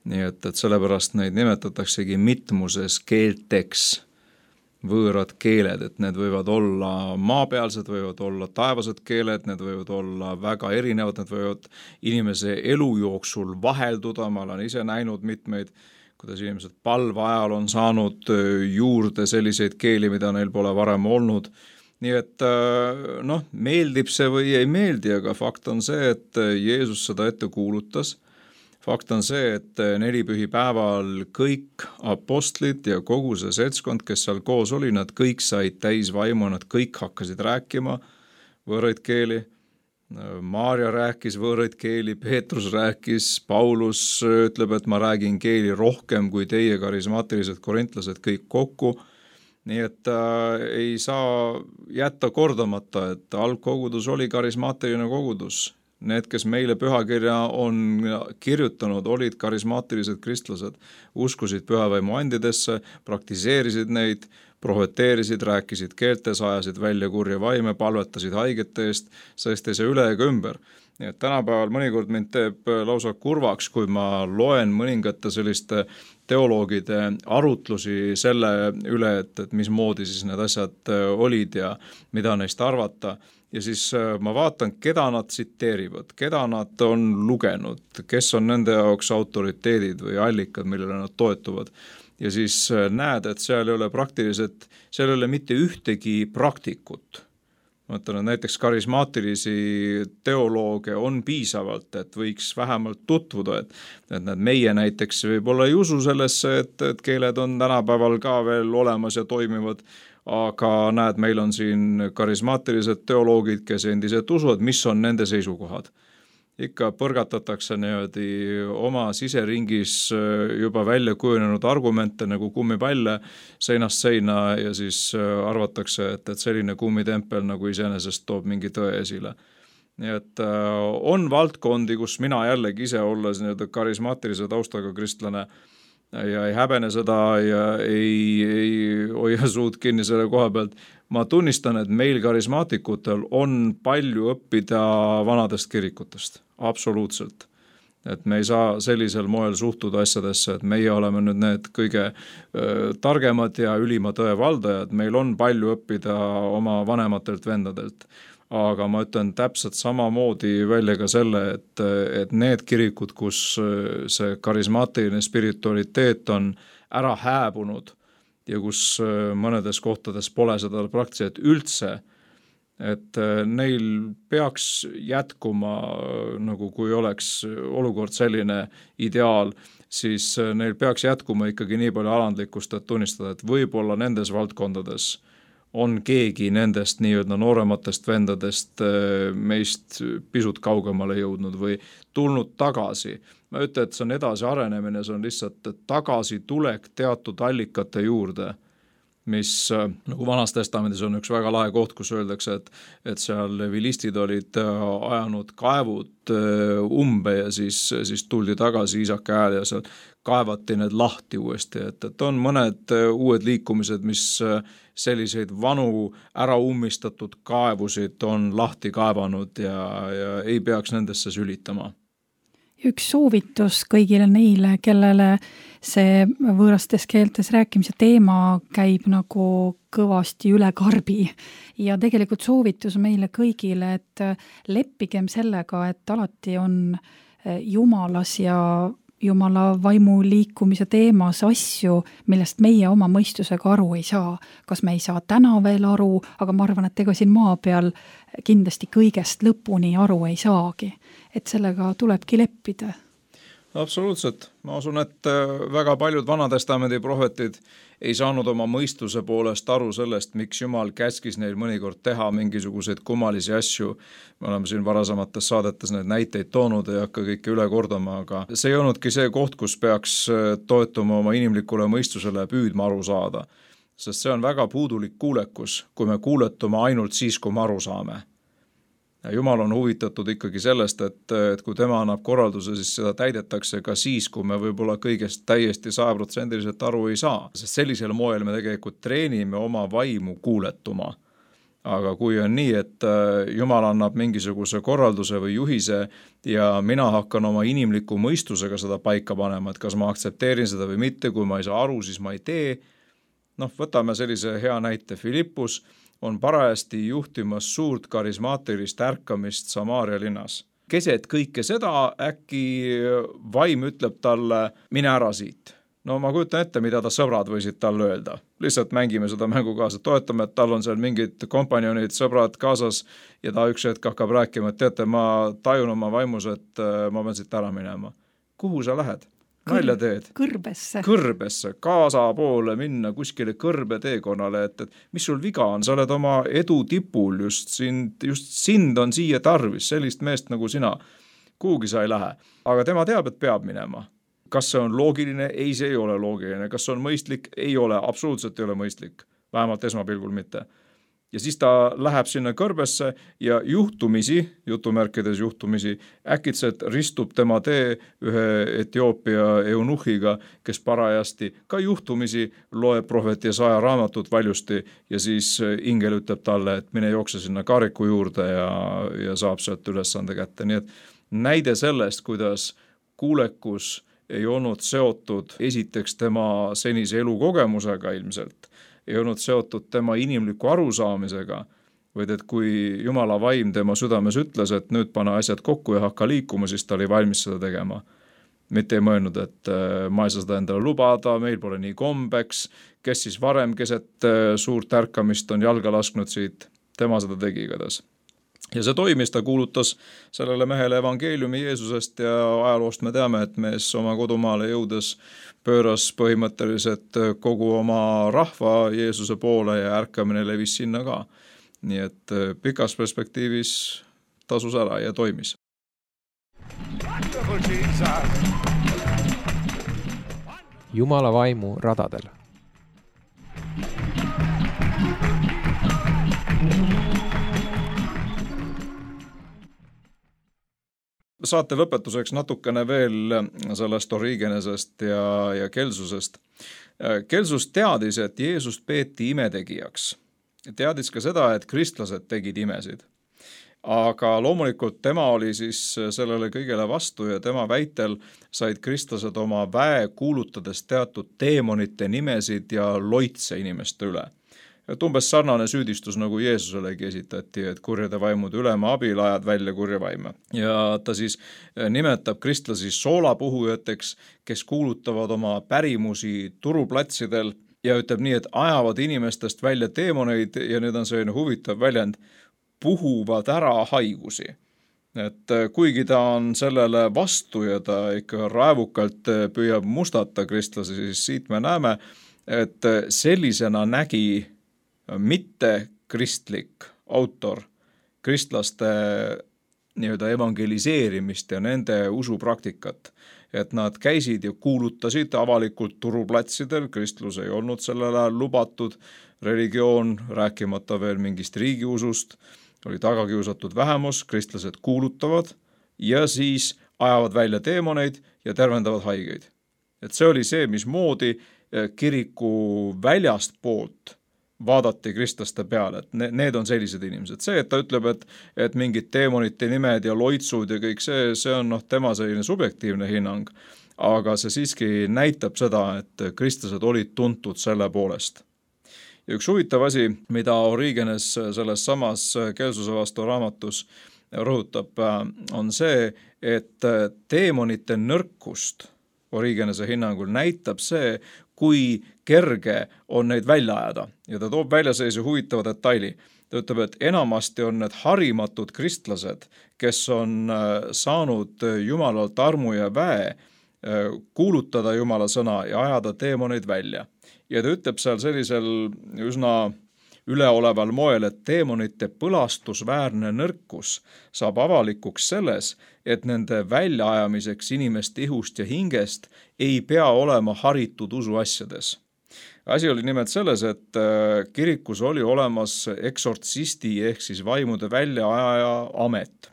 Nii et, et sellepärast neid nimetataksegi mitmuses keelteks võõrad keeled, et need võivad olla maapealsed, võivad olla taevased keeled, need võivad olla väga erinevad, need võivad inimese elu jooksul vahelduda, ma olen ise näinud mitmeid, kuidas inimesed palve ajal on saanud juurde selliseid keeli, mida neil pole varem olnud. Nii et noh, meeldib see või ei meeldi, aga fakt on see, et Jeesus seda ette kuulutas. Fakt on see, et nelipühi päeval kõik apostlid ja kogu see seltskond, kes seal koos oli, nad kõik said täis vaimu, nad kõik hakkasid rääkima võõraid keeli. Maarja rääkis võõraid keeli, Peetrus rääkis, Paulus ütleb, et ma räägin keeli rohkem kui teie karismaatilised korintlased kõik kokku. Nii et äh, ei saa jätta kordamata, et algkogudus oli karismaatiline kogudus. Need, kes meile pühakirja on kirjutanud, olid karismaatilised kristlased, uskusid pühavaimu andidesse, praktiseerisid neid, prohveteerisid, rääkisid keeltes, ajasid välja kurja vaime, palvetasid haigete eest, sest ei see üle ega ümber. Nii et tänapäeval mõnikord mind teeb lausa kurvaks, kui ma loen mõningate selliste teoloogide arutlusi selle üle, et, et mismoodi siis need asjad olid ja mida neist arvata. Ja siis ma vaatan, keda nad tsiteerivad, keda nad on lugenud, kes on nende jaoks autoriteedid või allikad, millele nad toetuvad. Ja siis näed, et seal ei ole praktiliselt, seal ei ole mitte ühtegi praktikut, ma ütlen, et näiteks karismaatilisi teolooge on piisavalt, et võiks vähemalt tutvuda, et, et need meie näiteks võib-olla ei usu sellesse, et, et keeled on tänapäeval ka veel olemas ja toimivad, aga näed, meil on siin karismaatilised teoloogid, kes endiselt usuvad, mis on nende seisukohad. Ikka põrgatatakse niimoodi oma siseringis juba välja kujunenud argumente nagu kummipalle seinast seina ja siis arvatakse, et, et selline kummitempel nagu iseenesest toob mingi tõe esile. Nii et on valdkondi, kus mina jällegi ise olles nii-öelda karismaatilise taustaga kristlane ja ei häbene seda ja ei, ei hoia suud kinni selle koha pealt. Ma tunnistan, et meil karismaatikutel on palju õppida vanadest kirikutest, absoluutselt. Et me ei saa sellisel moel suhtuda asjadesse, et meie oleme nüüd need kõige öö, targemad ja ülima tõe valdajad, meil on palju õppida oma vanematelt vendadelt. Aga ma ütlen täpselt samamoodi välja ka selle, et, et need kirikud, kus see karismaatiline spiritualiteet on ära hääbunud ja kus mõnedes kohtades pole seda praktiliselt üldse, et neil peaks jätkuma, nagu kui oleks olukord selline ideaal, siis neil peaks jätkuma ikkagi nii palju alandlikkust, et tunnistada, et võib-olla nendes valdkondades on keegi nendest nii-öelda noorematest vendadest meist pisut kaugemale jõudnud või tulnud tagasi. Ma ütlen, et see on edasi arenemine, see on lihtsalt tagasi tulek teatud allikate juurde, mis nagu Vanas Testamendis on üks väga lahe koht, kus öeldakse, et, et seal levilistid olid ajanud kaevud umbe ja siis, siis tuldi tagasi Iisaka hääl ja seal kaevati need lahti uuesti, et, et on mõned uued liikumised, mis selliseid vanu ära ummistatud kaevusid on lahti kaevanud ja, ja ei peaks nendesse sülitama. Üks soovitus kõigile neile, kellele see võõrastes keeltes rääkimise teema käib nagu kõvasti üle karbi ja tegelikult soovitus meile kõigile, et leppigem sellega, et alati on Jumalas ja Jumala vaimu liikumise teemas asju, millest meie oma mõistusega aru ei saa. Kas me ei saa täna veel aru, aga ma arvan, et ega siin maa peal kindlasti kõigest lõpuni aru ei saagi. Et sellega tulebki leppida. Absoluutselt. Ma usun, et väga paljud Vanatestamendi prohvetid ei saanud oma mõistuse poolest aru sellest, miks Jumal käskis neil mõnikord teha mingisuguseid kummalisi asju. Me oleme siin varasemates saadetes need näiteid toonud, ei hakka kõike üle kordama, aga see ei olnudki see koht, kus peaks toetuma oma inimlikule mõistusele ja püüdma aru saada. Sest see on väga puudulik kuulekus, kui me kuuletume ainult siis, kui me aru saame. Ja Jumal on huvitatud ikkagi sellest, et, et kui tema annab korralduse, siis seda täidetakse ka siis, kui me võib-olla kõigest täiesti sajaprotsendiliselt aru ei saa. Sest sellisel moel me tegelikult treenime oma vaimu kuuletuma. Aga kui on nii, et Jumal annab mingisuguse korralduse või juhise ja mina hakkan oma inimliku mõistusega seda paika panema, et kas ma aktsepteerin seda või mitte, kui ma ei saa aru, siis ma ei tee. Noh, võtame sellise hea näite Filippus, on parajasti juhtimas suurt karismaatilist ärkamist Samaaria linnas. Keset kõike seda äkki vaim ütleb talle, mine ära siit. No ma kujutan ette, mida ta sõbrad võisid talle öelda. Lihtsalt mängime seda mängu kaasa, toetame, et tal on seal mingid kompanjonid, sõbrad kaasas ja ta üks hetk hakkab rääkima, et teate, ma tajun oma vaimus, et ma pean siit ära minema. Kuhu sa lähed? Nalja teed. Kõrbesse. Kõrbesse, kaasa poole minna kuskile kõrbe teekonnale, et, et mis sul viga on, sa oled oma edu tipul, just sind, just sind on siia tarvis, sellist meest nagu sina. Kuhugi sa ei lähe, aga tema teab, et peab minema. Kas see on loogiline? Ei, see ei ole loogiline. Kas see on mõistlik? Ei ole, absoluutselt ei ole mõistlik, vähemalt esmapilgul mitte. Ja siis ta läheb sinna kõrbesse ja juhtumisi, jutumärkides juhtumisi, äkitselt ristub tema tee ühe Etioopia eunuhiga, kes parajasti ka juhtumisi loeb prohvet Jesaja raamatut valjusti ja siis ingel ütleb talle, et mine jookse sinna kaariku juurde ja, ja saab sealt ülesande kätte. Nii et näide sellest, kuidas kuulekus ei olnud seotud esiteks tema senise elukogemusega ilmselt, ei olnud seotud tema inimliku arusaamisega, vaid et kui Jumala vaim tema südames ütles, et nüüd pane asjad kokku ja hakka liikuma, siis ta oli valmis seda tegema. Mitte ei mõelnud, et ma ei saa seda endale lubada, meil pole nii kombeks, kes siis varem keset suurt ärkamist on jalga lasknud siit. tema seda tegi igatahes. Ja see toimis, ta kuulutas sellele mehele evangeeliumi Jeesusest ja ajaloost me teame, et mees oma kodumaale jõudes pööras põhimõtteliselt kogu oma rahva Jeesuse poole ja ärkamine levis sinna ka. Nii et pikas perspektiivis tasus ära ja toimis. Wonderful Jesus. Jumala vaimu radadel. Saate lõpetuseks natukene veel sellest Origenesest ja, ja Kelsusest. Kelsus teadis, et Jeesust peeti imetegijaks. Teadis ka seda, et kristlased tegid imesid. Aga loomulikult tema oli siis sellele kõigele vastu ja tema väitel said kristlased oma väe kuulutades teatud teemonite nimesid ja loitse inimeste üle. Et umbes sarnane süüdistus nagu Jeesuselegi esitati, et kurjade vaimude ülema abil ajad välja kurja vaime. Ja ta siis nimetab kristlasi soolapuhujateks, kes kuulutavad oma pärimusi turuplatsidel ja ütleb nii, et ajavad inimestest välja teemoneid ja nüüd on selline huvitav väljend, puhuvad ära haigusi. Et kuigi ta on sellele vastu ja ta ikka raevukalt püüab mustata kristlasi, siis siit me näeme, et sellisena nägi mitte kristlik autor kristlaste nii-öelda evangeliseerimist ja nende usupraktikat, et nad käisid ja kuulutasid avalikult turuplatsidel, kristlus ei olnud sellel ajal lubatud, religioon, rääkimata veel mingist riigiusust, oli tagakiusatud vähemus, kristlased kuulutavad ja siis ajavad välja teemoneid ja tervendavad haigeid. Et see oli see, mismoodi kiriku väljast poolt vaadati kristlaste peale, et need on sellised inimesed. See, et ta ütleb, et, et mingid teemonite nimed ja loitsud ja kõik see, see on noh, tema selline subjektiivne hinnang, aga see siiski näitab seda, et kristlased olid tuntud selle poolest. Ja üks huvitav asi, mida Origenes selles samas Kelsuse vastu raamatus rõhutab, on see, et teemonite nõrkust Origenese hinnangul näitab see, kui kerge on neid välja ajada. Ja ta toob välja sellise huvitava detaili. Ta ütleb, et enamasti on need harimatud kristlased, kes on saanud Jumalalt armu ja väe, kuulutada Jumala sõna ja ajada teemoneid välja. Ja ta ütleb seal sellisel üsna üleoleval moel, et teemonite põlastusväärne nõrkus saab avalikuks selles, et nende väljaajamiseks inimeste ihust ja hingest ei pea olema haritud usuasjades. Asi oli nimelt selles, et kirikus oli olemas eksortsisti ehk siis vaimude väljaajaja amet.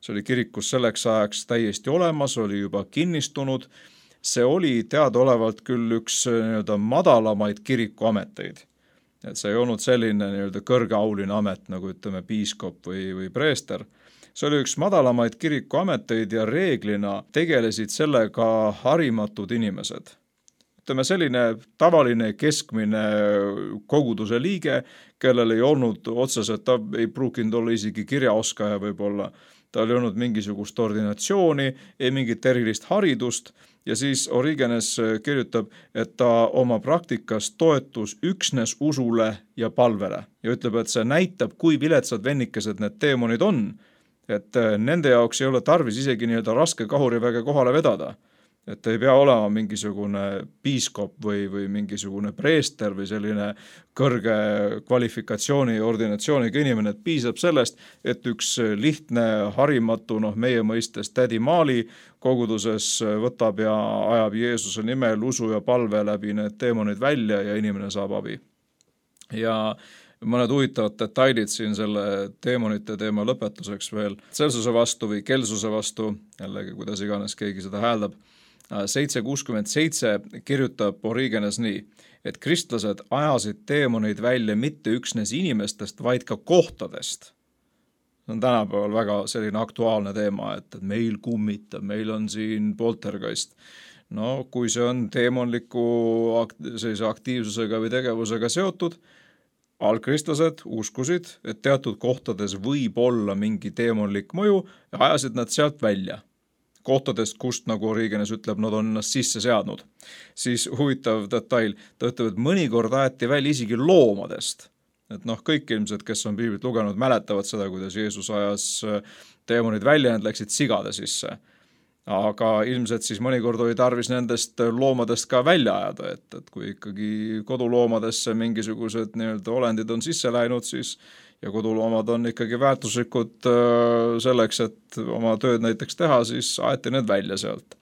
See oli kirikus selleks ajaks täiesti olemas, oli juba kinnistunud. See oli teadaolevalt küll üks nii-öelda madalamaid kirikuameteid. Et see ei olnud selline nii-öelda kõrgeauline amet, nagu ütleme piiskop või, või preester. See oli üks madalamaid kirikuameteid ja reeglina tegelesid sellega harimatud inimesed. Ütleme selline tavaline keskmine koguduse liige, kellel ei olnud otseselt, ta ei pruukinud olla isegi kirjaoskaja võib-olla. Ta oli olnud mingisugust ordinatsiooni, ei mingit erilist haridust ja siis Origenes kirjutab, et ta oma praktikas toetus üksnes usule ja palvele ja ütleb, et see näitab, kui viletsad vennikesed need teemonid on, et nende jaoks ei ole tarvis isegi nii-öelda raske kahuriväge kohale vedada. Et ei pea olema mingisugune piiskop või, või mingisugune preester või selline kõrge kvalifikatsiooni ja ordinatsiooniga inimene, et piisab sellest, et üks lihtne harimatu, noh meie mõistes tädi Maali koguduses võtab ja ajab Jeesuse nimel usu ja palve läbi need teemonid välja ja inimene saab abi. Ja mõned huvitavad detailid siin selle teemonite teema lõpetuseks veel. Celsuse vastu või Kelsuse vastu, jällegi kuidas iganes keegi seda hääldab, seitse kuuskümmend seitse kirjutab Origenes nii, et kristlased ajasid teemoneid välja mitte üksnes inimestest, vaid ka kohtadest. See on tänapäeval väga selline aktuaalne teema, et meil kummitab, meil on siin poltergeist. No kui see on teemonliku sellise aktiivsusega või tegevusega seotud, algkristlased uskusid, et teatud kohtades võib olla mingi teemonlik mõju ja ajasid nad sealt välja. Kohtadest, kust, nagu Origenes ütleb, nad on ennast sisse seadnud. Siis huvitav detail, ta ütleb, et mõnikord aeti välja isegi loomadest. et noh, kõik ilmselt, kes on piiblit lugenud, mäletavad seda, kuidas Jeesus ajas teemonid välja, need läksid sigade sisse. Aga ilmselt siis mõnikord oli tarvis nendest loomadest ka välja ajada, et, et kui ikkagi koduloomadesse mingisugused nii-öelda olendid on sisse läinud, siis ja koduloomad on ikkagi väärtuslikud selleks, et oma tööd näiteks teha, siis aeti need välja sealt.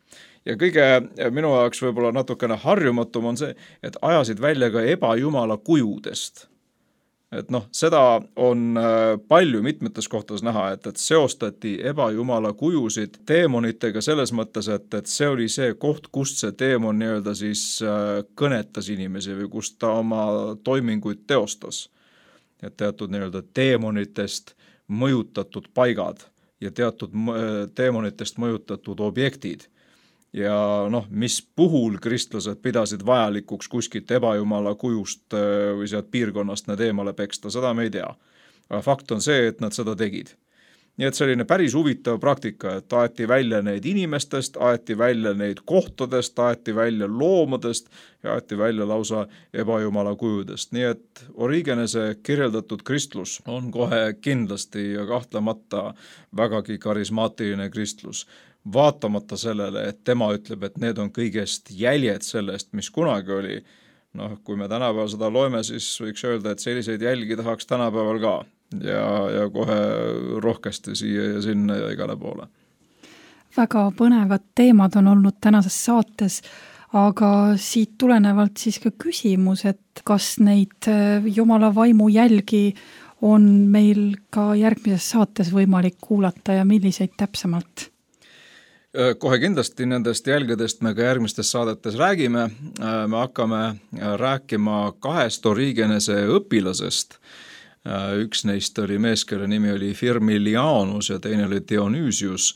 Ja kõige minu jaoks võib-olla natukene harjumatum on see, et ajasid välja ka ebajumala kujudest. Et noh, seda on palju mitmetes kohtades näha, et, et seostati ebajumala kujusid teemonitega selles mõttes, et, et see oli see koht, kust see teemon nii-öelda siis kõnetas inimesi või kust ta oma toiminguid teostas. Et teatud nii-öelda teemonitest mõjutatud paigad ja teatud teemonitest mõjutatud objektid. Ja noh, mis puhul kristlased pidasid vajalikuks kuskilt ebajumala kujust või sealt piirkonnast need eemale peksta, seda me ei tea. Aga fakt on see, et nad seda tegid. Nii et selline päris huvitav praktika, et aeti välja neid inimestest, aeti välja neid kohtadest, aeti välja loomadest ja aeti välja lausa ebajumala kujudest. Nii et Origenese kirjeldatud kristlus on kohe kindlasti ja kahtlemata vägagi karismaatiline kristlus. Vaatamata sellele, et tema ütleb, et need on kõigest jäljed sellest, mis kunagi oli. Noh, kui me tänapäeval seda loeme, siis võiks öelda, et selliseid jälgi tahaks tänapäeval ka ja, ja kohe rohkesti siia ja sinna ja igale poole. Väga põnevad teemad on olnud tänases saates, aga siit tulenevalt siis ka küsimus, et kas neid Jumala vaimu jälgi on meil ka järgmises saates võimalik kuulata ja milliseid täpsemalt? Kohe kindlasti nendest jälgedest me ka järgmistes saadetes räägime. Me hakkame rääkima kahest Origenese õpilasest. Üks neist oli mees, kelle nimi oli Firmilianus ja teine oli Dionysius.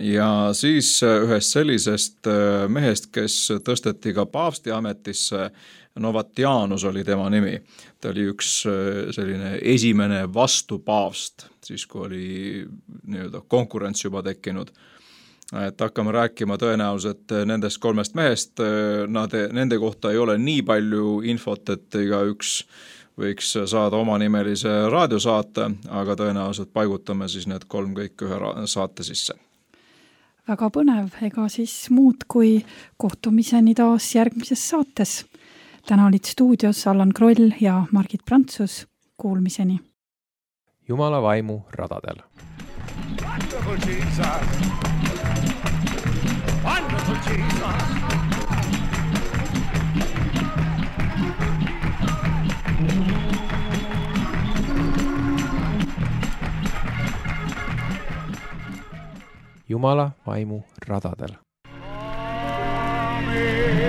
Ja siis ühest sellisest mehest, kes tõsteti ka paavsti ametisse, Novatianus oli tema nimi. Ta oli üks selline esimene vastupaavst, siis kui oli nii-öelda konkurents juba tekkinud. Et hakkame rääkima tõenäoliselt nendest kolmest mehest, nad, nende kohta ei ole nii palju infot, et iga üks võiks saada oma nimelise raadiosaate, aga tõenäoliselt paigutame siis need kolm kõik ühe saate sisse. Väga põnev, ega siis muud kui kohtumiseni taas järgmises saates. Täna olid stuudios Allan Kroll ja Margit Prantsus. Kuulmiseni. Jumala vaimu radadel. Wonderful Jesus. Wonderful Jesus. Jumala vaimu radadel. Amen.